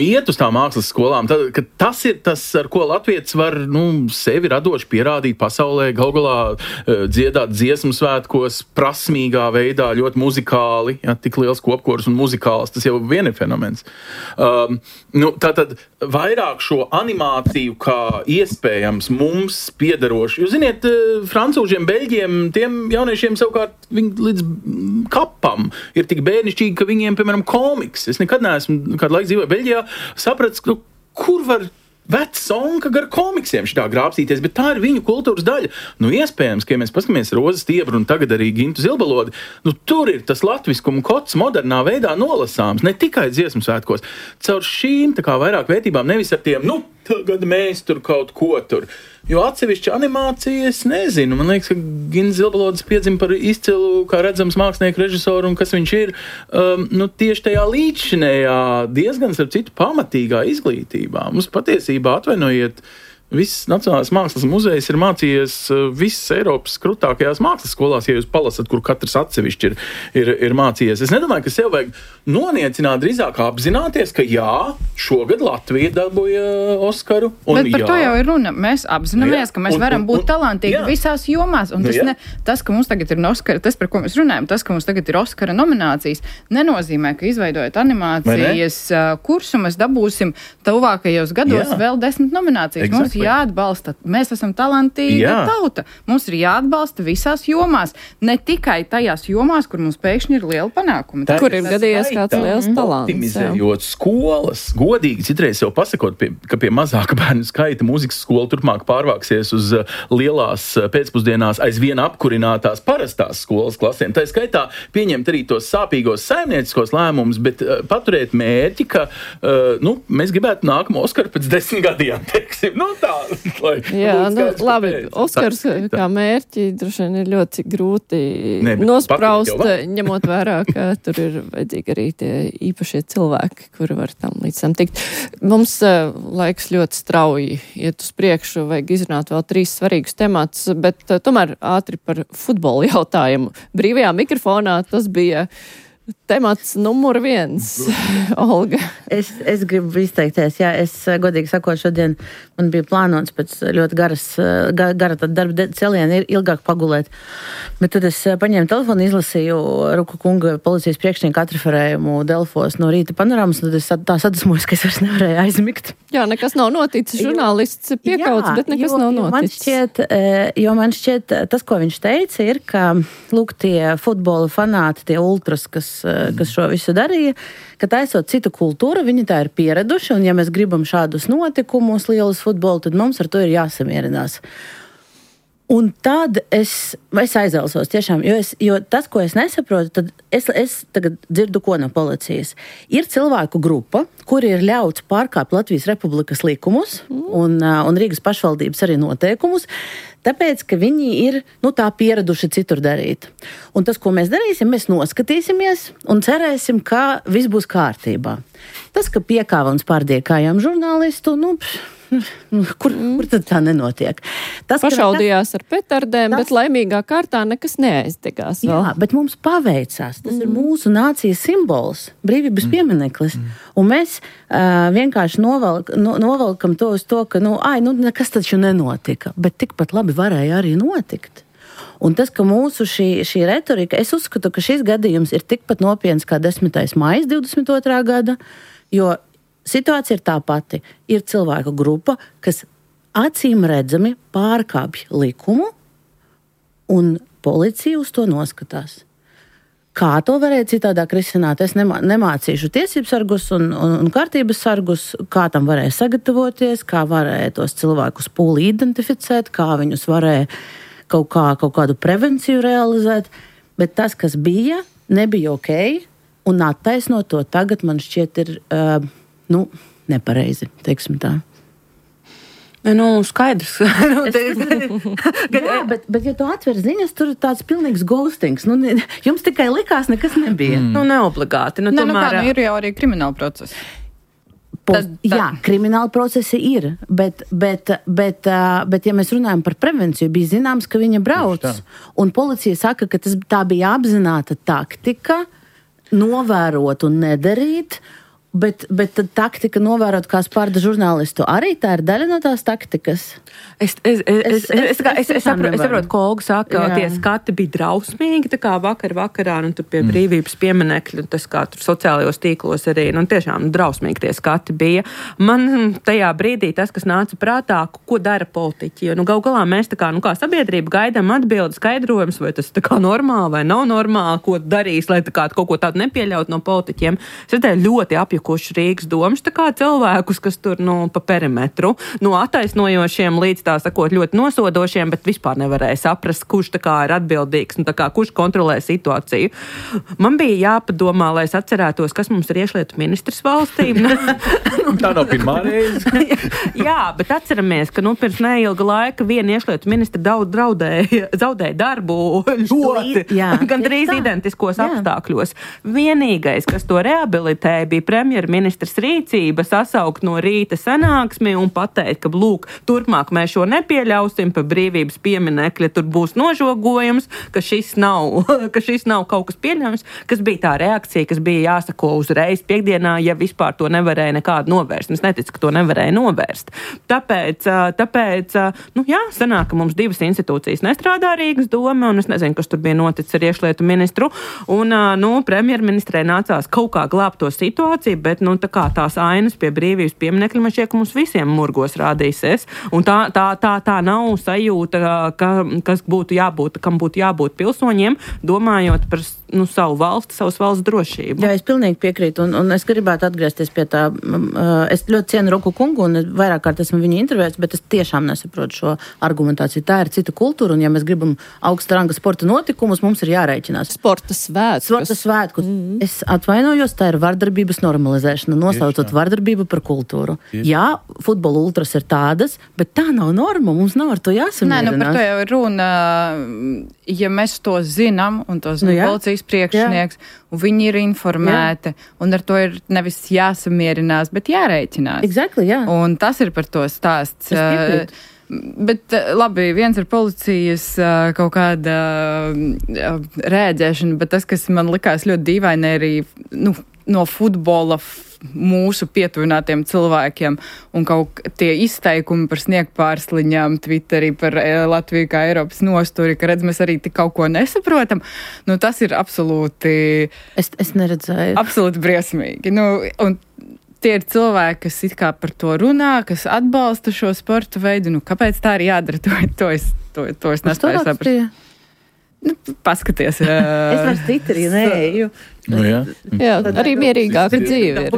iet uz tām mākslas skolām. Tad, ka tas ir tas, ar ko latvietis var sevi radoši pierādīt pasaulē, galā dziedāt dziesmu svētkos, prasmīgā veidā, ļoti muzikāli, tik liels kopkors un muzikāls, tas jau vien ir fenomens. Tātad vairāk šo animāciju kā iespējams mums piederoši. Jūs ziniet, francūžiem, beļģiem, tiem jauniešiem savukārt viņi līdz kapam ir tik bērnišķīgi, ka viņiem, piemēram, komiks. Es nekad neesmu kādu laiku dzīvoju Beļģijā, sapratis, kur var vecs onka gar komiksiem šitā grābstīties, bet tā ir viņu kultūras daļa. Iespējams, ka ja mēs paskatāmies Rozes Stiebru un tagad arī Gintu Zilbalodi, tur ir tas latviskuma kods modernā veidā nolasāms, ne tikai dziesmu svētkos. Caur šīm tā kā vairāk vērtībām, nevis ar tiem, tagad mēs tur kaut ko tur. Jo atsevišķa animācija, es nezinu. Man liekas, ka Gins Zilbalodis piedzima par izcilu, kā redzams, mākslinieku režisoru un kas viņš ir. Tieši tajā līdzšinējā diezgan, starp citu, pamatīgā izglītībā. Mums patiesībā, atvainojiet, viss Nacionālais mākslas muzejs ir mācījies visas Eiropas krūtākajās mākslas skolās, ja jūs palasat, kur katrs atsevišķi ir mācījies. Es nedomāju, ka sev vajag noniecināt, drīzāk apzināties, ka jā, šogad Latvija dabūja Oskaru. Bet par to jau ir runa. Mēs apzināmies, ka mēs varam būt talantīgi visās jomās. Un tas, ka mums tagad ir Oskara, tas, par ko mēs runājam, tas, ka mums tagad ir Oskara nominācijas, nenozīmē, ka izveidojot animācijas kursu, mēs dabūsim tuvākajos gados vēl 10 nominācijas. Mums jāatbalsta. Mēs esam talantīga tauta. Mums ir jāatbalsta visās jomās. Ne tikai tajās jomās, kur mums pēkšņi ir liela panākuma. Kur ir gadījies kāds liels talants. Optimizējot skolas, godīgi citreiz jau pasakot, ka pie mazāka bērnu skaita mūzikas skola turpmāk pārvāksies uz lielās pēcpusdienās aizvien apkurinātās parastās skolas klasēm. Tā skaitā pieņemt arī tos sāpīgos saimnieciskos lēmumus, bet paturēt mērķi, ka mēs gribētu nākamo Oskaru pēc 10 gadiem, teiksim. Tā, labi, Oskars kā mērķi droši vien ir ļoti grūti nospraust, ņemot vērā, ka tur ir vajadzīgi arī tie īpašie cilvēki, kuri var tam līdz tam tikt. Mums laiks ļoti strauji iet uz priekšu, vajag izrunāt vēl 3 svarīgus temats, bet tomēr ātri par futbolu jautājumu. Brīvajā mikrofonā tas bija temats numur 1, Olga. Es gribu izteikties, es godīgi sakot, šodien man bija plānots pēc ļoti gara darba celiena ilgāk pagulēt, bet tad es paņēmu telefonu, izlasīju Ruka kunga policijas priekšnieka atreferējumu Delfos no rīta panorāmas, un tad es tā sadusmojos, ka es vairs nevarēju aizmigt. Jā, nekas nav noticis, žurnālists piekauts, bet nekas nav noticis. Man šķiet, tas, ko viņš teica, ir, ka, lūk, tie futbola fanāti, tie ultras, kas šo visu darīja, ka taisot citu kultūru, viņi tā ir pieraduši, un ja mēs gribam šādus notikumus, lielus futbolu, tad mums ar to ir jāsamierinās. Un tad es aizelsos tiešām, jo tas, ko es nesaprotu, tad es tagad dzirdu, ko no policijas. Ir cilvēku grupa, kuri ir ļauts pārkāpt Latvijas Republikas likumus un Rīgas pašvaldības arī noteikumus, tāpēc, ka viņi ir tā pieraduši citur darīt. Un tas, ko mēs darīsim, mēs noskatīsimies un cerēsim, ka viss būs kārtībā. Tas, ka piekāva un spārdīja kājām žurnālistu, kur tad tā nenotiek? Pašaudījās ar petardēm, bet laimīgā kārtā nekas neaizdegās vēl. Jā, bet mums paveicās. Tas ir mūsu nācijas simbols, brīvības piemineklis. Un mēs vienkārši novelkam to uz to, ka nekas taču nenotika, bet tikpat labi varēja arī notikt. Un tas, ka mūsu šī retorika, es uzskatu, ka šis gadījums ir tikpat nopietns kā 10. maija 22. gada, jo situācija ir tā pati. Ir cilvēku grupa, kas acīm redzami pārkāpj likumu, un policija uz to noskatās. Kā to varēja citādāk risināt? Es nemācīšu tiesības sargus un kārtības sargus, kā tam varēja sagatavoties, kā varēja tos cilvēkus pūli identificēt, kā viņus varēja kaut kādu prevenciju realizēt, bet tas, kas bija, nebija ok, un attaisnot to tagad man šķiet ir nepareizi, teiksim tā. Skaidrs. Jā, bet ja tu atver ziņas, tur ir tāds pilnīgs ghostings. Jums tikai likās, nekas nebija. Neobligāti. Ir jau arī krimināla procesi. Jā, krimināla procesi ir, bet ja mēs runājam par prevenciju, bija zināms, ka viņa brauc. Un policija saka, ka tā bija apzināta taktika novērot un nedarīt, bet tad taktika novērot kā spārda žurnālistu. Arī tā ir daļa no tās taktikas. Es saprotu, ko Olga saka, tie skati bija drausmīgi, tā kā vakarā, tur pie brīvības pieminekļa, tas kā tur sociālajos tīklos arī, tiešām drausmīgi tie skati bija. Man tajā brīdī tas, kas nāca prātā, ko dara politiķi, jo gal galā mēs kā sabiedrība gaidām atbildi, skaidrojums, vai tas tā kā normāli vai nav normāli, ko darīs, lai tā kā kaut ko tādu nepieļaut no politiķiem. Es redzēju ļoti apjukuši Rīgas domas, tā kā cilvēkus, kas tur pa perimetru, no attaisnojošiem līdz tā sakot ļoti nosodošiem, bet vispār nevarēja saprast, kurš tā kā ir atbildīgs un tā kā kurš kontrolē situāciju. Man bija jāpadomā, lai es atcerētos, kas mums ir iekšlietu ministrs valstī. Tā nav pirmā reize. Jā, bet atceramies, ka pirms neilga laika viena iekšlietu ministra zaudēja darbu ļoti, gandrīz identiskos apstākļos. Vienīgais, kas to rehabilitēja, bija premjerministrs rīcība sasaukt no rīta sanāksmi un pateikt, ka lūk, turpmāk mēs šo nepieļausim, pa brīvības pieminekļa tur būs nožogojums, ka šis nav kaut kas pieļaujams, kas bija tā reakcija, kas bija jāsako uzreiz piekdienā, ja vispār to nevarēja nekādu novērst. Es neticu, ka to nevarēja novērst. Tāpēc sanāk, ka mums 2 institūcijas nestrādā Rīgas doma, un es nezinu, kas tur bija noticis ar iekšlietu ministru, un premjerministrei nācās kaut kā glābt to situāciju, bet, tā kā tās ainas pie brīvības pieminekļa, man šķiet, ka mums visiem murgos rādīsies. Un tā nav sajūta, kas būtu jābūt, kam būtu jābūt pilsoņiem, domājot par savu valsti, savas valsts drošību. Jā, es pilnīgi piekrītu, un es gribētu atgriezties pie tā. Es ļoti cienu Roku kungu, un vairāk kārt esmu viņu intervējis, bet es tiešām nesaprotu šo argumentāciju. Tā ir cita kultūra, un ja mēs gribam augsta ranga sporta notikumus, mums ir jārēķinās. Sporta svētkus. Es atvainojos, tā ir vardarbības normalizēšana, nosaucot vardarbību par kultūru. Jā, futbola ultras ir tādas, bet tā nav norma, mums nav ar to jāsamierinās. Nē, par to jau ir runa. Ja mēs to zinām, un to zina policijas priekšnieks, un viņi ir informēti, un ar to ir nevis jāsamierinās, bet jārēķinās. Exactly, jā. Un tas ir par to stāsts. Bet labi, viens ir policijas kaut kāda rēģēšana, bet tas, kas man likās ļoti dīvaini, arī no futbola mūsu pietuvinātiem cilvēkiem un kaut tie izteikumi par sniegpārsliņām Twitterī par Latviju kā Eiropas nosturi, ka redz, mēs arī tik kaut ko nesaprotam. Tas ir absolūti... Es neredzēju. Absolūti briesmīgi. Un tie ir cilvēki, kas it kā par to runā, kas atbalsta šo sporta veidu. Kāpēc tā ir jādara? To es nespēju saprast. Paskaties. Es vairs Twitterī neeju. Jā, arī mierīgāka dzīve ir.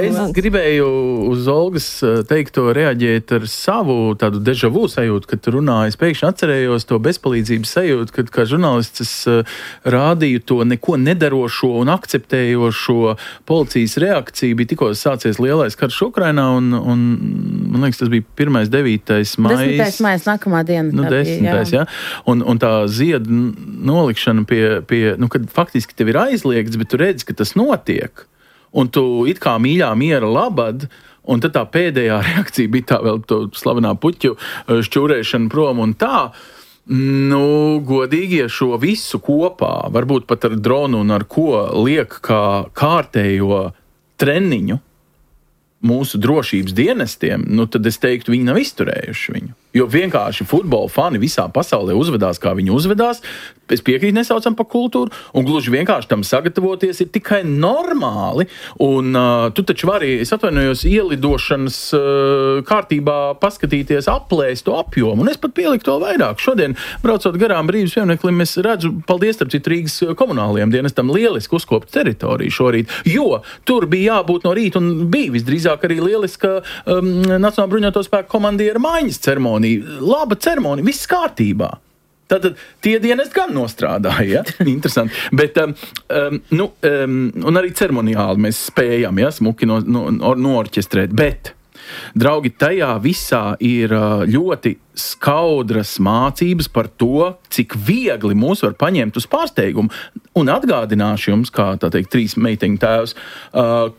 Es gribēju uz Olgas teikto reaģēt ar savu tādu deja vu sajūtu, kad runāju. Es pēkšņi atcerējos to bezpalīdzības sajūtu, kad kā žurnālists es rādīju to neko nedarošo un akceptējošo policijas reakciju. Bija tikko sācies lielais karš Ukrainā un man liekas, tas bija 1.9. maijs. 10. maijs nākamā diena. 10. jā. Un tā ziedu nolikšana pie kad faktiski tev ir aizliegts, bet tu redzi, ka tas notiek, un tu it kā mīļā miera labad, un tad tā pēdējā reakcija bija tā vēl to slavenā puķu šķūrēšana prom un tā. Godīgi, ja šo visu kopā, varbūt pat ar dronu un ar ko liek kā kārtējo treniņu mūsu drošības dienestiem, tad es teiktu, viņi nav izturējuši viņu. Jo vienkārši futbola fani visā pasaulē uzvedās, kā viņi uzvedās. Es piekrītu, nesaucam par kultūru, un gluži vienkārši tam sagatavoties ir tikai normāli. Un tu taču vari, es atvainojos, ielidošanas kārtībā paskatīties, aplēst to apjomu, un es pat pieliku to vairāk. Šodien, braucot garām brīvības piemineklim, es redzu, paldies starp citu Rīgas komunālajiem dienestam, lieliski uzkopta teritoriju šorīt, jo tur bija jābūt no rīta, un bija visdrīzāk arī lieliska Nacionālā bruņoto spēku komandiera maiņas ceremonija. Laba ceremonija, viss kārtībā. Tātad tie dienesti gan nostrādāja, ja? Interesanti. Bet, un arī ceremoniāli mēs spējam, ja, smuki noorķestrēt. Bet, draugi, tajā visā ir ļoti skaudras mācības par to, cik viegli mūs var paņemt uz pārsteigumu. Un atgādināšu jums, kā tā teikt, 3 meiteņu tēvs,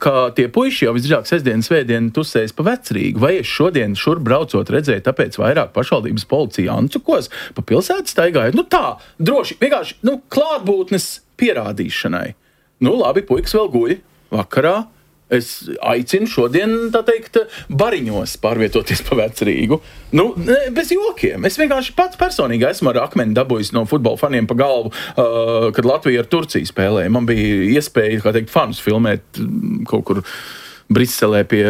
ka tie puiši jau visdrīzāk sestdien, svētdien tusēs pa Vecrīgu. Vai es šodien šur braucot redzēju, tāpēc vairāk pašvaldības policija Ancukos pa pilsētu staigājot? Tā, droši, vienkārši, klātbūtnes pierādīšanai. Labi, puikas vēl guļ vakarā. Es aicinu šodien, tā teikt, bariņos pārvietoties pa Vecrīgu. Bez jokiem. Es vienkārši pats personīgi esmu ar akmeni dabūjis no futbola faniem pa galvu, kad Latvija ar Turciju spēlēja. Man bija iespēja, kā teikt, fanus filmēt kaut kur Briselē pie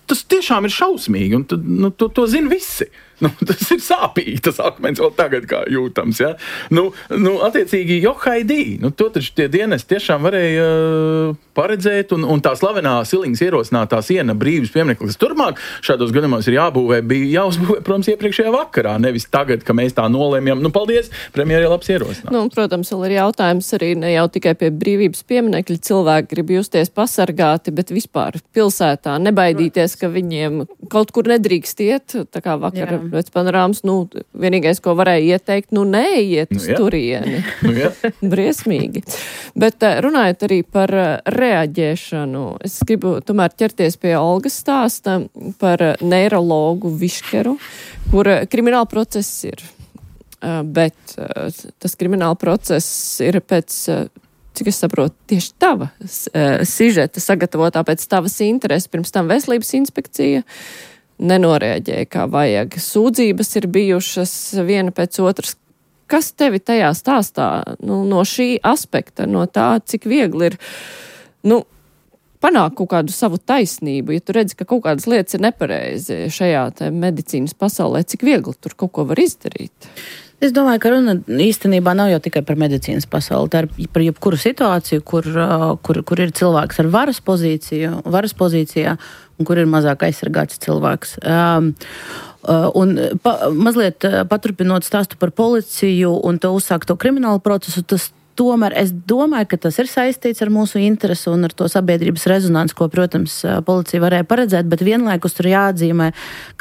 tas tiešām ir šausmīgi, un to zina visi. Tas ir sāpīgi, tas akmens vēl tagad kā jūtams, ja? Attiecīgi, johaidī, to taču tie dienesti tiešām varēja paredzēt, un tā slavenā Siliņas ierosinātā siena brīvības piemineklis turmāk šādos gadījumos ir jābūvē, bija jāuzbūvē, protams, iepriekšējā vakarā, nevis tagad, ka mēs tā nolēmjam. Paldies, premjeri labs ierosinājums. Protams, vēl ir jautājums arī ne jau tikai pie brīvības pieminekļa cilvēki grib justies pasargāti, bet vispār pilsētā nebaidīties, ka viņiem kaut kur nedrīkst iet, tā kā vakar pēc panorāmas, vienīgais, ko varēja ieteikt, neiet uz turieni. Briesmīgi. Bet runājot arī par reaģēšanu, es gribu tomēr ķerties pie Olgas stāsta par neirologu Viškeru, kur krimināla process ir. Bet tas krimināla process ir pēc, cik es saprotu, tieši tava sižeta sagatavotā pēc tavas intereses, pirms tam veselības inspekcija nenorēģēja kā vajag. Sūdzības ir bijušas viena pēc otras. kas tevi tajā stāstā, no šī aspekta, no tā, cik viegli ir, panākt kaut kādu savu taisnību, ja tu redzi, ka kaut kādas lietas ir nepareizi šajā te medicīnas pasaulē, cik viegli tur kaut ko var izdarīt? Es domāju, ka runa īstenībā nav jau tikai par medicīnas pasauli, tā ir par jebkuru situāciju, kur ir cilvēks ar varas pozīcijā un kur ir mazāk aizsargāts cilvēks. Mazliet paturpinot stāstu par policiju un to uzsākto kriminālu procesu, tomēr es domāju, ka tas ir saistīts ar mūsu interesi un ar to sabiedrības rezonanci, ko, protams, policija varēja paredzēt, bet vienlaikus tur jāatzīmē,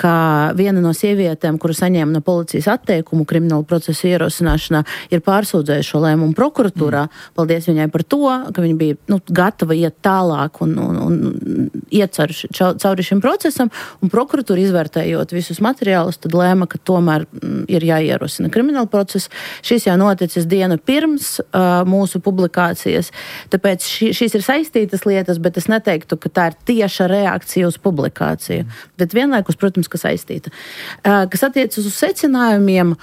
ka viena no sievietēm, kuru saņēma no policijas atteikumu kriminālu procesu ierosināšanā, ir pārsūdzējuši šo lēmumu prokuratūrā. Paldies viņai par to, ka viņa bija gatava iet tālāk un iet cauri šim procesam, un prokuratūra izvērtējot visus materiālus, tad lēma, ka tomēr ir jāierosina kriminālu procesu. Šis jau noticis dienu pirms mūsu publikācijas. Tāpēc šīs ir saistītas lietas, bet es neteiktu, ka tā ir tieša reakcija uz publikāciju. Bet vienlaikus, protams, ka saistīta. Kas attiecas uz secinājumiem,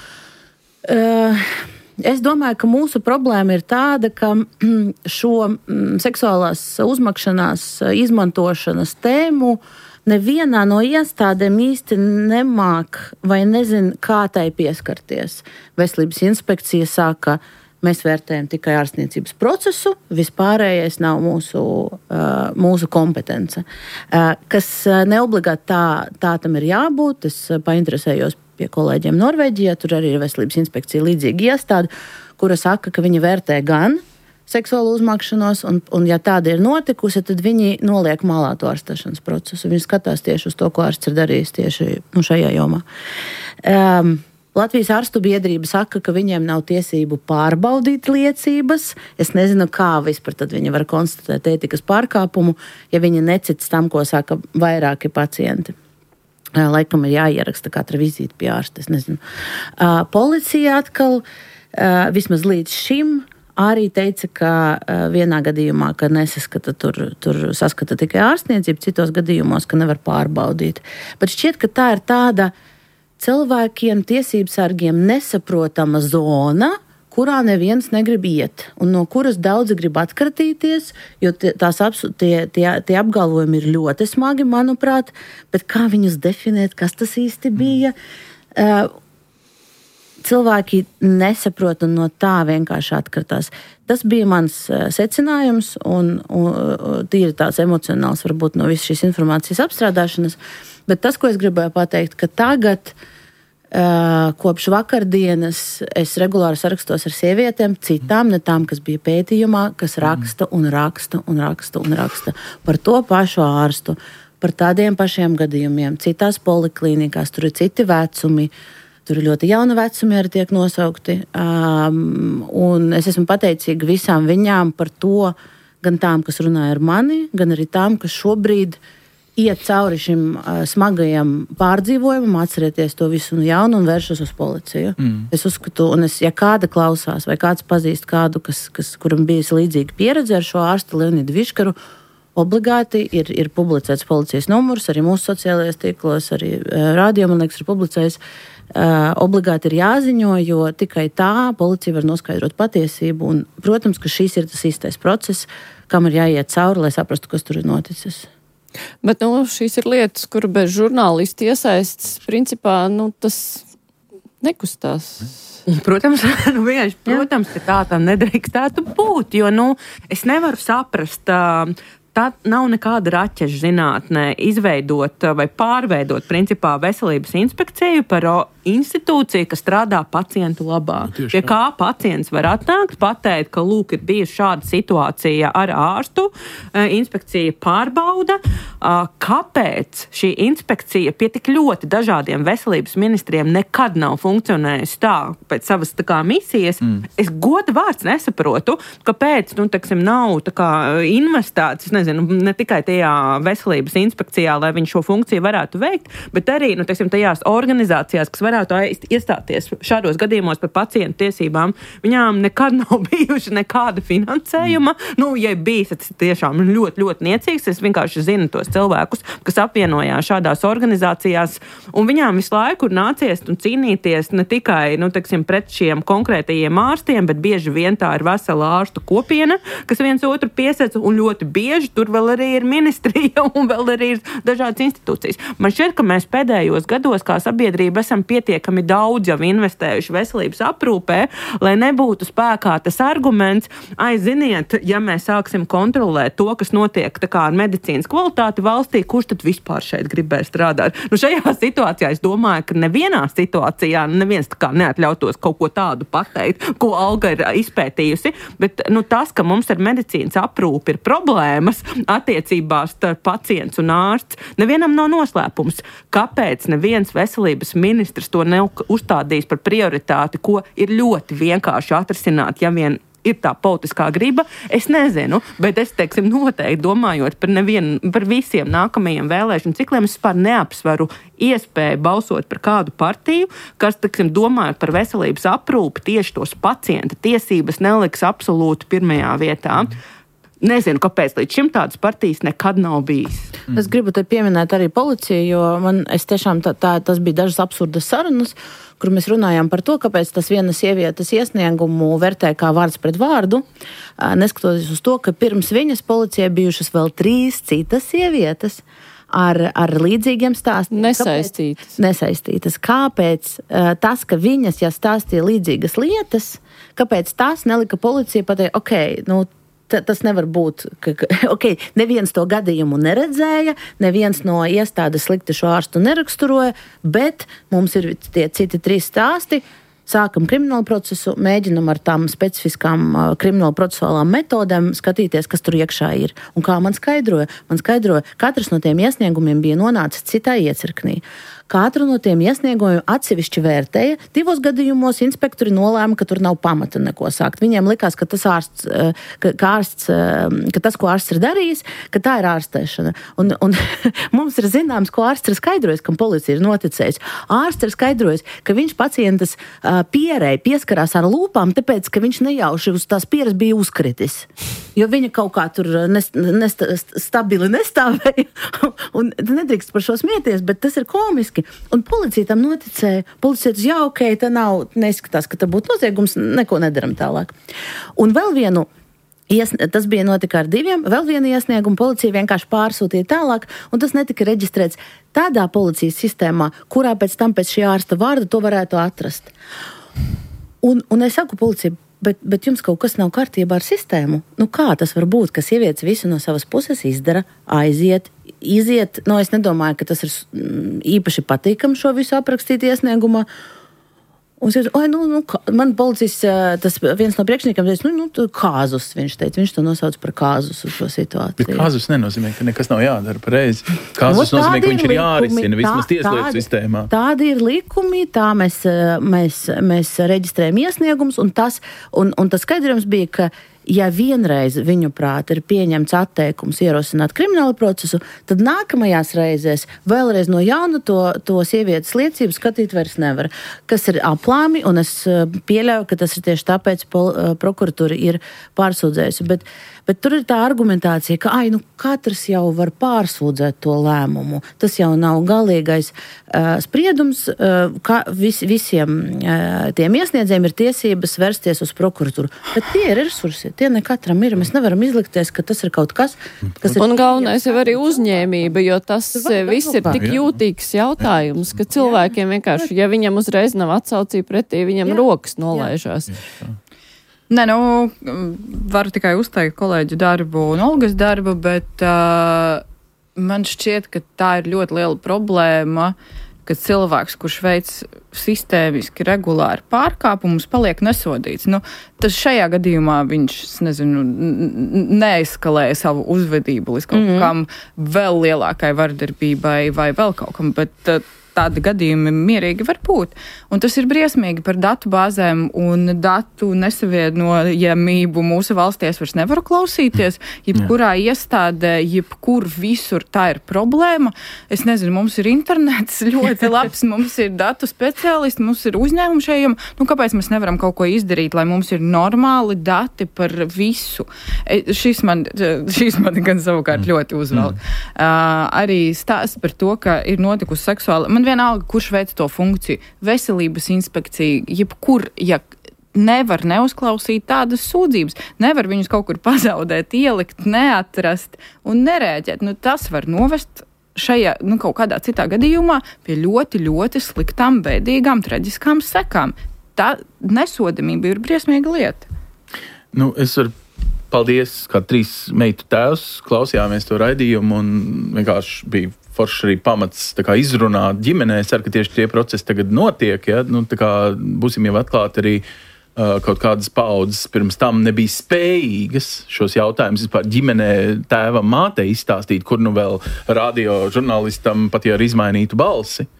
es domāju, ka mūsu problēma ir tāda, ka šo seksuālās uzmakšanās izmantošanas tēmu nevienā no iestādēm īsti nemāk vai nezin, kā tai pieskarties. Veselības inspekcija saka, mēs vērtējam tikai ārstniecības procesu, vispārējais nav mūsu kompetence. Kas neobligāti tā tam ir jābūt. Es painteresējos pie kolēģiem Norvēģijā, tur arī ir veselības inspekcija līdzīga iestāde, kura saka, ka viņi vērtē gan seksuālu uzmakšanos, un ja tāda ir notikusi, tad viņi noliek malā to ārstēšanas procesu. Viņi skatās tieši uz to, ko ārsts ir darījis tieši šajā jomā. Latvijas ārstu biedrība saka, ka viņiem nav tiesību pārbaudīt liecības. Es nezinu, kā vispār tad viņi var konstatēt ētikas pārkāpumu, ja viņi necits tam, ko saka vairāki pacienti. Laikam ir jāieraksta katra vizīte pie ārsta, es nezinu. Policija atkal, vismaz līdz šim, arī teica, ka vienā gadījumā, ka nesaskata, tur saskata tikai ārstniecību, citos gadījumos, ka nevar pārbaudīt. Bet šķiet, ka tā ir tāda cilvēkiem, tiesībsargiem nesaprotama zona, kurā neviens negrib iet, un no kuras daudzi grib atkratīties, jo tie apgalvojumi ir ļoti smagi, manuprāt, bet kā viņus definēt, kas tas īsti bija? Cilvēki nesaprot un no tā vienkārši atkratās. Tas bija mans secinājums un tīri tāds emocionāls varbūt no visas šīs informācijas apstrādāšanas, bet tas, ko es gribēju pateikt, ka tagad kopš vakardienas es regulāri sarakstos ar sievietēm, citām, ne tām, kas bija pētījumā, kas raksta par to pašu ārstu, par tādiem pašiem gadījumiem, citās poliklīnikās, tur ir citi vecumi, tur ir ļoti jauni vecumi arī tiek nosaukti, un es esmu pateicīga visām viņām par to, gan tām, kas runāja ar mani, gan arī tām, kas šobrīd iet cauri šim smagajam pārdzīvojumam, atcerieties to visu no jaunu un vēršas uz policiju. Es uzskatu, un ja kāda klausās vai kāds pazīst kādu, kuram bijis līdzīga pieredze ar šo ārstu Leonidu Viškaru, obligāti ir publicēts policijas numurs, arī mūsu sociālajos tīklos, arī radio, man liekas, ir publicējis. Obligāti ir jāziņo, jo tikai tā policija var noskaidrot patiesību, un, protams, ka šīs ir tas īstais process, kam ir jāiet cauri, lai saprastu, kas tur ir noticis. Bet, šīs ir lietas, kur bez žurnālisti iesaistas, principā, tas nekustās. Protams, protams, ka tā nedrīkstētu būt, jo, es nevaru saprast, tā nav nekāda raķeša zinātnē izveidot vai pārveidot, principā, veselības inspekciju par institūciju, kas strādā pacientu labā. Pie kā pacients var atnākt, pateikt, ka, lūk, ir bijusi šāda situācija ar ārstu, inspekcija pārbauda. Kāpēc šī inspekcija pie tik ļoti dažādiem veselības ministriem nekad nav funkcionējusi tā pēc savas misijas? Es goda vārds nesaprotu, kāpēc, nav investēts, nezinu, ne tikai tajā veselības inspekcijā, lai viņi šo funkciju varētu veikt, bet arī, teiksim, tajās organizācijās, kas varētu iestāties šādos gadījumos par pacientu tiesībām, viņām nekad nav bijuši nekāda finansējuma. Ja bijis, tas tiešām ļoti, ļoti niecīgs. Es vienkārši zinu tos cilvēkus, kas apvienojās šādās organizācijās, un viņām visu laiku ir nācies un cīnīties ne tikai, teiksim, pret šiem konkrētajiem ārstiem, bet bieži vien tā ir vesela ārstu kopiena, kas viens otru piesaca, un ļoti bieži tur vēl arī ir ministrija un vēl arī ir dažādas institūcijas. Man šķiet, ka mēs pēdējos gados kā sabiedrība esam pietiekami daudz jau investējuši veselības aprūpē, lai nebūtu spēkā tas arguments, ziniet, ja mēs sāksim kontrolēt to, kas notiek tā kā ar medicīnas kvalitāti valstī, kurš tad vispār šeit gribēs strādāt? Šajā situācijā es domāju, ka nevienā situācijā neviens tā kā neatļautos kaut ko tādu pateikt, ko Alga ir izpētījusi, bet tas, ka mums ar medicīnas aprūpi ir problēmas attiecībās starp pacients un ārsts, nevienam nav noslēpums. Kāpēc neviens veselības ministrs to neuzstādīs par prioritāti, ko ir ļoti vienkārši atrisināt, ja vien ir tā politiskā griba, es nezinu, bet es, teiksim, noteikti domājot par visiem nākamajiem vēlēšanu cikliem, es vispār neapsveru iespēju balsot par kādu partiju, kas, teiksim, domājot par veselības aprūpi, tieši tos pacienta tiesības neliks absolūti pirmajā vietā. Nezinu, kāpēc līdz šim tādas partijas nekad nav bijis. Es gribu te pieminēt arī policiju, jo es tiešām tas bija dažas absurdas sarunas, kur mēs runājām par to, kāpēc tas vienas sievietes iesniegumu vērtē kā vārds pret vārdu, neskatoties uz to, ka pirms viņas policijai bijušas vēl 3 citas sievietes ar līdzīgiem stāstiem. Nesaistītas. Kāpēc tas, ka viņas, ja stāstīja līdzīgas lietas, kāpēc tas nelika policija pateikt, tas nevar būt, neviens to gadījumu neredzēja, neviens no iestādes slikti šo ārstu neraksturoja, bet mums ir tie citi 3 stāsti, sākam kriminālu procesu, mēģinam ar tām specifiskām kriminālu procesuālām metodēm skatīties, kas tur iekšā ir. Un kā man skaidroja, katrs no tiem iesniegumiem bija nonācis citā iecirknī. Katru no tiem iesniegumiem atsevišķi vērtēja. 2 gadījumos inspektori nolēma, ka tur nav pamata neko sākt. Viņiem likās, ka tas ko ārsts ir darījis, ka tā ir ārstēšana. Un mums ir zināms, ko ārsts ir skaidrojis, kam policija ir noticējis. Ārsts ir skaidrojis, ka viņš pacientas pierei pieskarās ar lūpām, tāpēc, ka viņš nejauši uz tās pieres bija uzkritis. Jo viņa kaut kā tur stabili nestāvēja. Un nedrīkst par šo smieties, bet tas ir komiski. Un policija tam noticēja. Policija teica, tā nav, neskatās, ka tā būtu noziegums, neko nedaram tālāk. Un vēl vienu, tas bija notika ar 2, vēl vienu iesniegumu policija vienkārši pārsūtīja tālāk, un tas netika reģistrēts tādā policijas sistēmā, kurā pēc šī ārsta vārda to varētu atrast. Un es saku policija, bet jums kaut kas nav kārtībā ar sistēmu. Kā tas var būt, ka sievietes visu no savas puses izdara, iziet. Es nedomāju, ka tas ir īpaši patīkami šo visu aprakstīt iesniegumā. Un es teicu, man policijas, tas viens no priekšniekiem teica, kāzus, viņš teica, viņš to nosauc par kāzus uz šo situāciju. Bet kāzus nenozīmē, ka nekas nav jādara pareizi. Kāzus nozīmē, ka viņš ir jārisina vismaz tieslietu sistēmā. Tādi ir likumi, tā mēs reģistrējam iesniegums, un tas skaidrojums bija, ka ja vienreiz viņu prāt ir pieņemts atteikums ierosināt kriminālu procesu, tad nākamajās reizēs vēlreiz no jauna to sievietes liecību skatīt vairs nevar. Kas ir aplāmi, un es pieļauju, ka tas ir tieši tāpēc prokuratūra ir pārsūdzējusi. Bet tur ir tā argumentācija, ka katrs jau var pārsūdzēt to lēmumu. Tas jau nav galīgais spriedums, ka visiem tiem iesniedzējiem ir tiesības vērsties uz prokuratūru. Bet tie ir resursi, tie ne katram ir. Mēs nevaram izlikties, ka tas ir kaut kas ir... Un galvenais jau arī uzņēmība, jo tas viss ir tik jūtīgs jautājums, ka cilvēkiem vienkārši, ja viņam uzreiz nav atsaucība pretī, viņam rokas nolaižās. Nē, varu tikai uzteikt kolēģu darbu un Olgas darbu, bet man šķiet, ka tā ir ļoti liela problēma, ka cilvēks, kurš veic sistēmiski regulāri pārkāpumus, paliek nesodīts. Tas šajā gadījumā viņš, neeskalēja savu uzvedību līdz kaut kam vēl lielākai vardarbībai vai vēl kaut kam, bet tādi gadījumi mierīgi var būt. Un tas ir briesmīgi par datu bāzēm un datu nesavienojamību mūsu valstī. Es vairs nevaru klausīties. Jebkurā iestādē, jebkur visur tā ir problēma. Es nezinu, mums ir internets ļoti labs, mums ir datu speciālisti, mums ir uzņēmumi šajiem. Kāpēc mēs nevaram kaut ko izdarīt, lai mums ir normāli dati par visu? Šis man gan savukārt ļoti uzvelk. Arī stāsts par to, ka ir notikusi seksuāla. Man vienalga, kurš veic to funkciju. Veselības inspekcija, jebkur, nevar neuzklausīt tādas sūdzības. Nevar viņus kaut kur pazaudēt, ielikt, neatrast un nerēģēt. Tas var novest šajā, kaut kādā citā gadījumā pie ļoti, ļoti sliktām, bēdīgām, traģiskām sekām. Tā nesodamība ir briesmīga lieta. Es varu paldies, kā 3 meitu tēvs, klausījāmies to raidījumu un vienkārši bija forši arī pamats izrunāt ģimenē. Es ceru, ka tieši tie procesi tagad notiek. Ja? Būsim jau atklāti arī kaut kādas paudzes pirms tam nebija spējīgas šos jautājumus vispār ģimenē tēvam, mātei izstāstīt, kur vēl radio žurnālistam pat ja ar izmainītu balsi.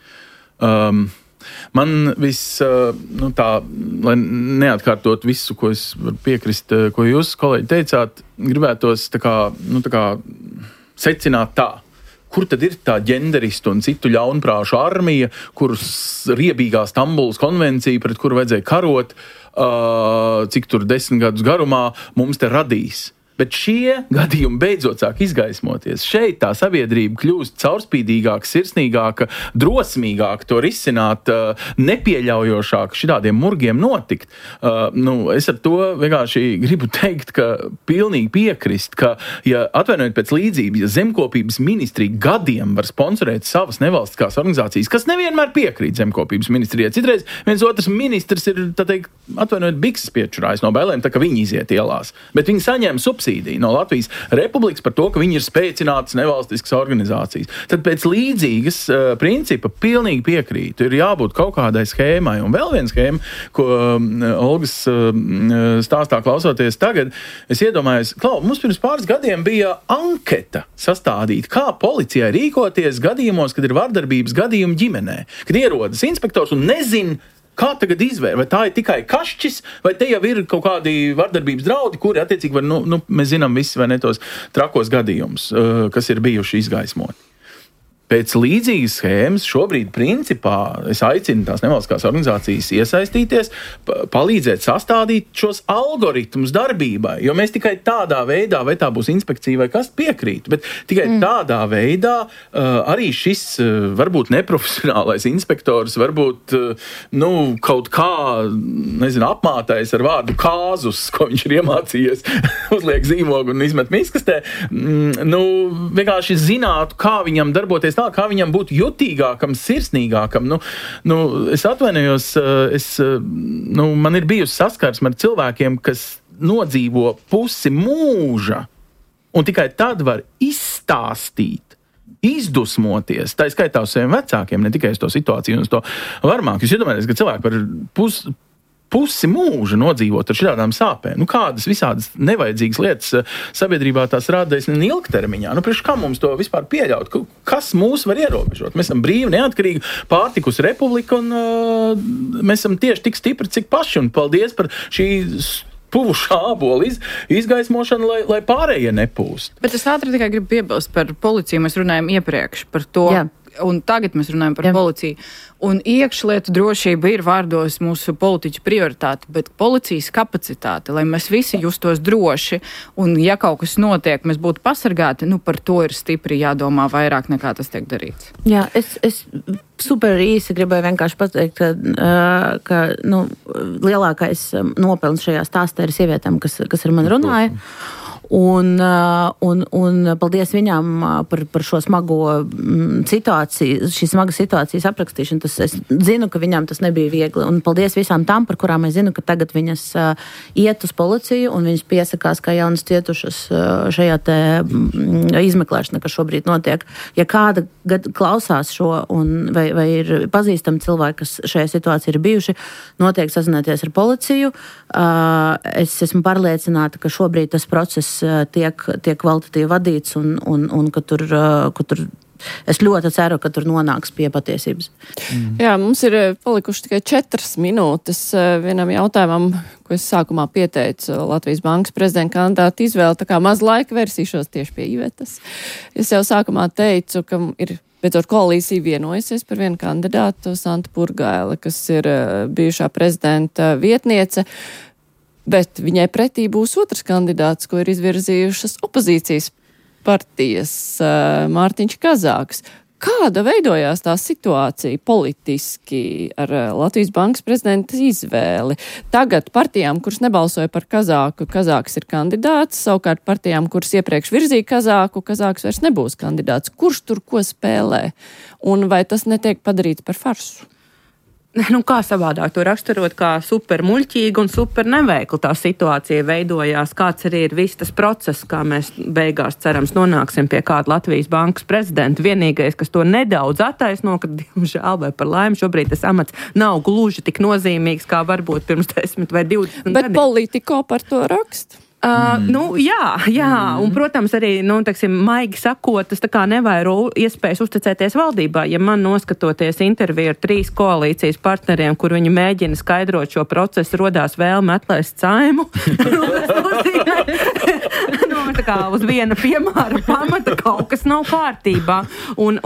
Man lai neatkārtot visu, ko es varu piekrist, ko jūs, kolēģi, teicāt, gribētos secināt tā. Kur tad ir tā ģenderistu un citu ļaunprāšu armija, kurus riebīgā Stambulas konvencija, pret kuru vajadzēja karot, cik tur 10 gadus garumā, mums te radīs? Bet šie gadījumi beidzot sāk izgaismoties. Šeit tā sabiedrība kļūst caurspīdīgāka, sirsnīgāka, drosmīgāka, to risināt, nepieļaujošāk šitādiem murgiem notikt. Es ar to vienkārši gribu teikt, ka pilnīgi piekrist, ka, ja atvainojiet pēc līdzības, ja zemkopības ministrija gadiem var sponsorēt savas nevalstiskās organizācijas, kas nevienmēr piekrīt zemkopības ministrijai. Citreiz viens otrs ministrs ir, atvainojiet, bikses piečurājis no bailēm, tā ka viņi iziet ielās. Bet viņi saņem subsīdiju no Latvijas Republikas par to, ka viņi ir spēcinātas nevalstiskas organizācijas. Tad pēc līdzīgas principa pilnīgi piekrītu. Ir jābūt kaut kādai schēmai. Un vēl viena schēma, ko Olgas stāstā klausoties tagad, es iedomājos, mums pirms pāris gadiem bija anketa sastādīta, kā policijai rīkoties gadījumos, kad ir vardarbības gadījumi ģimenē. Kad ierodas inspektors un nezin, kā tagad izvēr? Vai tā ir tikai kašķis, vai te jau ir kaut kādi vardarbības draudi, kuri attiecīgi var, mēs zinām visi vai ne tos trakos gadījumus, kas ir bijuši izgaismoti. Pēc līdzīgas schēmas šobrīd principā es aicinu tās nevalstiskās organizācijas iesaistīties, palīdzēt sastādīt šos algoritmus darbībai, jo mēs tikai tādā veidā, vai tā būs inspekcija vai kas piekrīt, bet tikai tādā veidā arī šis varbūt neprofesionālais inspektors, varbūt kaut kā, apmātais ar vārdu kāzus, ko viņš ir iemācījies, uzliek zīmogu un izmet miskastē, vienkārši zinātu, kā viņam darboties tā, kā viņam būtu jutīgākam, sirsnīgākam. Es atvainojos, man ir bijusi saskarsme ar cilvēkiem, kas nodzīvo pusi mūža, un tikai tad var izstāstīt, izdusmoties, tā skaitā uz saviem vecākiem, ne tikai uz to situāciju un uz to varmāk. Jūs iedomājaties, ka cilvēki par pusi mūža nodzīvot ar šādām sāpēm. Kādas visādas nevajadzīgas lietas sabiedrībā tās rādēs ilgtermiņā. Priekš kā mums to vispār pieļaut? Kas mūs var ierobežot? Mēs esam brīvi, neatkarīgi, pārtikus republika un mēs esam tieši tik stipri, cik paši. Un paldies par šī puvušā ābola izgaismošanu, lai pārējie nepūst. Bet es ātri tikai gribu piebilst par policiju. Mēs runājam iepriekš par to. Jā. Un tagad mēs runājam par policiju. Un iekšlietu drošība ir vārdos mūsu politiķu prioritāte, bet policijas kapacitāte, lai mēs visi justos droši, un ja kaut kas notiek, mēs būtu pasargāti, par to ir stipri jādomā vairāk nekā tas tiek darīts. Jā, es super īsi gribēju vienkārši pateikt, ka lielākais nopelns šajā stāstā ir sievietēm, kas ar mani runāja. Un paldies viņām par šo smago situāciju, šī smaga situācijas aprakstīšanu. Es zinu, ka viņām tas nebija viegli. Un paldies visām tām, par kurām es zinu, ka tagad viņas iet uz policiju un viņas piesakās kā jaunas cietušas šajā te izmeklēšanā, kas šobrīd notiek. Ja kāda klausās šo vai ir pazīstami cilvēki, kas šajā situācijā ir bijuši, noteikti sazināties ar policiju. Es esmu pārliecināta, ka šobrīd tas process tiek kvalitatīvi vadīts un ka tur es ļoti ceru, ka tur nonāks pie patiesības. Jā, mums ir palikuši tikai 4 minūtes vienam jautājumam, ko es sākumā pieteicu Latvijas Bankas prezidenta kandidātu izvēli, tā kā maz laika versīšos tieši pie Ivetas. Es jau sākumā teicu, ka ir beidzot koalīcija vienojusies par vienu kandidātu, Santu Purgaili, kas ir bijušā prezidenta vietniece, bet viņai pretī būs otrs kandidāts, ko ir izvirzījušas opozīcijas partijas, Mārtiņš Kazāks. Kāda veidojās tā situācija politiski ar Latvijas Bankas prezidenta izvēli? Tagad partijām, kuras nebalsoja par Kazāku, Kazāks ir kandidāts, savukārt partijām, kuras iepriekš virzīja Kazāku, Kazāks vairs nebūs kandidāts. Kurš tur ko spēlē? Un vai tas netiek padarīts par farsu? Nu, kā savādāk to raksturot, kā super muļķīga un super neveikla tā situācija veidojās, kāds arī ir viss tas process, kā mēs beigās cerams nonāksim pie kāda Latvijas Bankas prezidenta. Vienīgais, kas to nedaudz attaisno, ka, diemžēl vai par laimi, šobrīd tas amats nav gluži tik nozīmīgs, kā varbūt pirms 10 vai 20 gadiem. Bet Politico par to raksta? Jā, un, protams, arī, maigi sakot, tas tā kā nevairo iespējas uzticēties valdībā. Ja man noskatoties interviju ar 3 koalīcijas partneriem, kur viņi mēģina skaidrot šo procesu, rodās vēlme atlaist Saimu, tā kā uz viena piemēra pamata kaut kas nav kārtībā. Un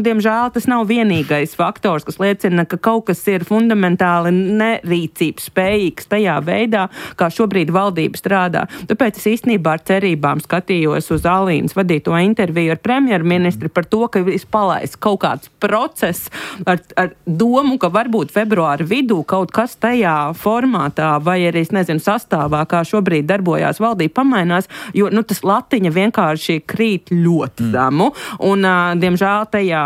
diemžēl tas nav vienīgais faktors, kas liecina, ka kaut kas ir fundamentāli nerīcības spējīgs tajā veidā, kā šobrīd valdība strādā. Tāpēc es īstenībā ar cerībām skatījos uz Alīnas vadīto interviju ar premjerministri par to, ka viss palaists kaut kāds process ar domu, ka varbūt februāra vidū kaut kas tajā formātā vai arī, sastāvā, kā šobrīd darbojās valdība, pamainās, jo tas latiņa vienkārši krīt ļoti zemu. Un, diemžēl, tajā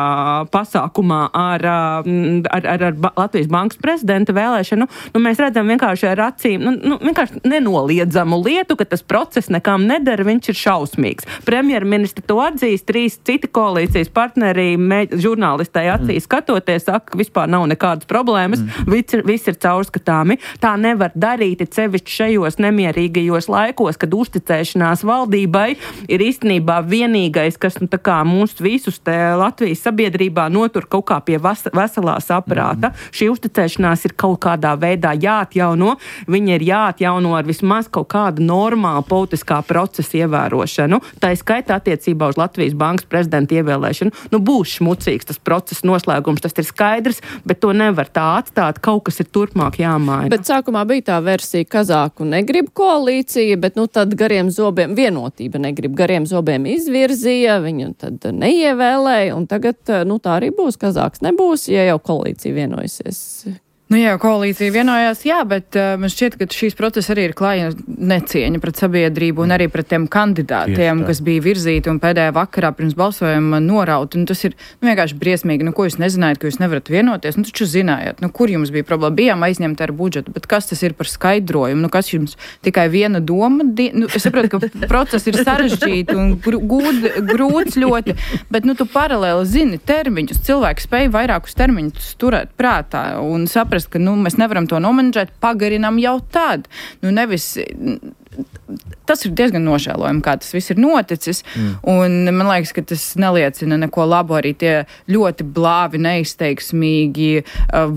pasākumā ar Latvijas Bankas prezidenta vēlēšanu, mēs redzam vienkārši ar acīm, vienkārši nenoliedzamu lietu, ka tas process nekam nedara, viņš ir šausmīgs. Premjerministri to atzīst, 3 citi koalīcijas partneri žurnālistai acīs skatoties, saka, ka vispār nav nekādas problēmas, viss ir caurskatāmi. Tā nevar darīt, sevišķi šajos nemierīgajos laikos, kad uzticēšanās valdībai ir īstenībā vienīgais, kas mūsu visus te Latvijas sabiedrībā notur kaut kā pie veselā saprāta. Šī uzticēšanās ir kaut kādā veidā jāatjauno. Viņa ir jāatjauno ar vismaz kaut kādu normālu politiskā procesa ievērošanu. Tā ir skaitā attiecībā uz Latvijas Bankas prezidenta ievēlēšanu. Būs šmucīgs tas procesa noslēgums, tas ir skaidrs, bet to nevar tā atstāt. Kaut kas ir turpmāk jāmaina. Bet sākumā bija tā versija, Kazāku negrib koalīcija, bet tad gariem zobiem vienotība negrib, gariem zobiem izvirzīja, viņu tad neievēlēja, un tagad, tā arī būs, Kazāks nebūs, ja jau koalīcija vienojusies. Jā, koalīcija vienojās, bet man šķiet, ka šīs procesa arī ir klāja necieņa pret sabiedrību un arī pret tiem kandidātiem, kas bija virzīti un pēdējā vakarā pirms balsojuma noraut. Un tas ir vienkārši briesmīgi. Ko jūs nezinājāt, ka jūs nevarat vienoties? Taču zinājāt, kur jums bija problēma? Bijām aizņemti ar budžetu, bet kas tas ir par skaidrojumu? Kas jums tikai viena doma? Es saprotu, ka process ir sarežģīti un grūts ļoti, bet tu paralēli zini termiņus. Cilvēki spēj vairākus termiņus turēt prātā un saprast, ka mēs nevaram to nomenedžēt, pagarinām jau tad. Nevis tas ir diezgan nožēlojami, kā tas viss ir noticis, un man liekas, ka tas neliecina neko labu, arī tie ļoti blāvi, neizteiksmīgi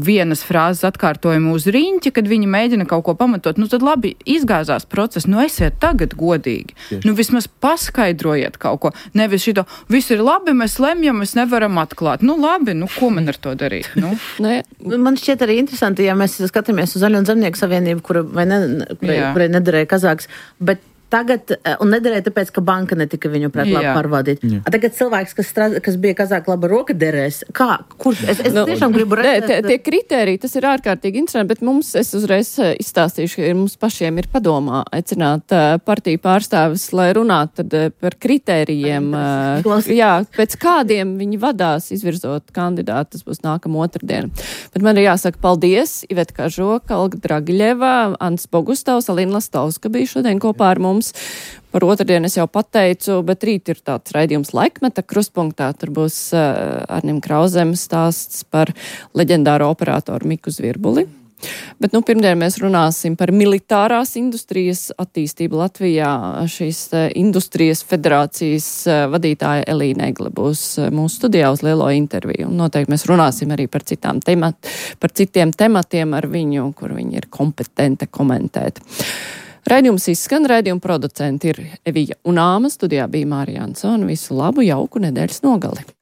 vienas frāzes atkārtojumi uz riņķa, kad viņi mēģina kaut ko pamatot. Tad labi, izgāzās process, esiet tagad godīgi. Vismaz paskaidrojiet kaut ko. Nevis šito, viss ir labi, mēs lemjam, mēs nevaram atklāt. Labi, ko man ar to darīt? Man šķiet arī interesanti, ja mēs skatāmies uz Zaļo un Zemnieku savienību, kurai nederēja Kazāks, bet tagad, un nederēja tāpēc, ka banka netika viņu prāt labi pārvaldīt. Tagad cilvēks, kas bija Kazāka laba roka, derēs. Kurš? Es tiešām gribu redzēt. Tie kritēriji, tas ir ārkārtīgi interesanti, bet es uzreiz izstāstīšu, ka mums pašiem ir padomā aicināt partiju pārstāvis, lai runātu par kritērijiem. Pēc kādiem viņi vadās izvirzot kandidātu, tas būs nākamā otrdien. Bet man ir jāsaka paldies Iveta Kažoka, Olga Dragiļeva, Ants Bogustovs, Alina Lastovska bija šodien kopā ar mums. Par otrdienu es jau pateicu, bet rīt ir tāds raidījums Laikmeta krustpunktā. Tur būs Arnim Krauzem stāsts par leģendāro operatoru Miku Zvirbuli. Bet, pirmdien mēs runāsim par militārās industrijas attīstību Latvijā. Šīs industrijas federācijas vadītāja Elīna Egle būs mūsu studijā uz lielo interviju. Un noteikti mēs runāsim arī par citiem tematiem ar viņu, kur viņi ir kompetenti komentēt. Raidījums izskan, raidījuma producenti ir Evija un Āma, studijā bija Mārija Ansona. Visu labu, jauku nedēļas nogali!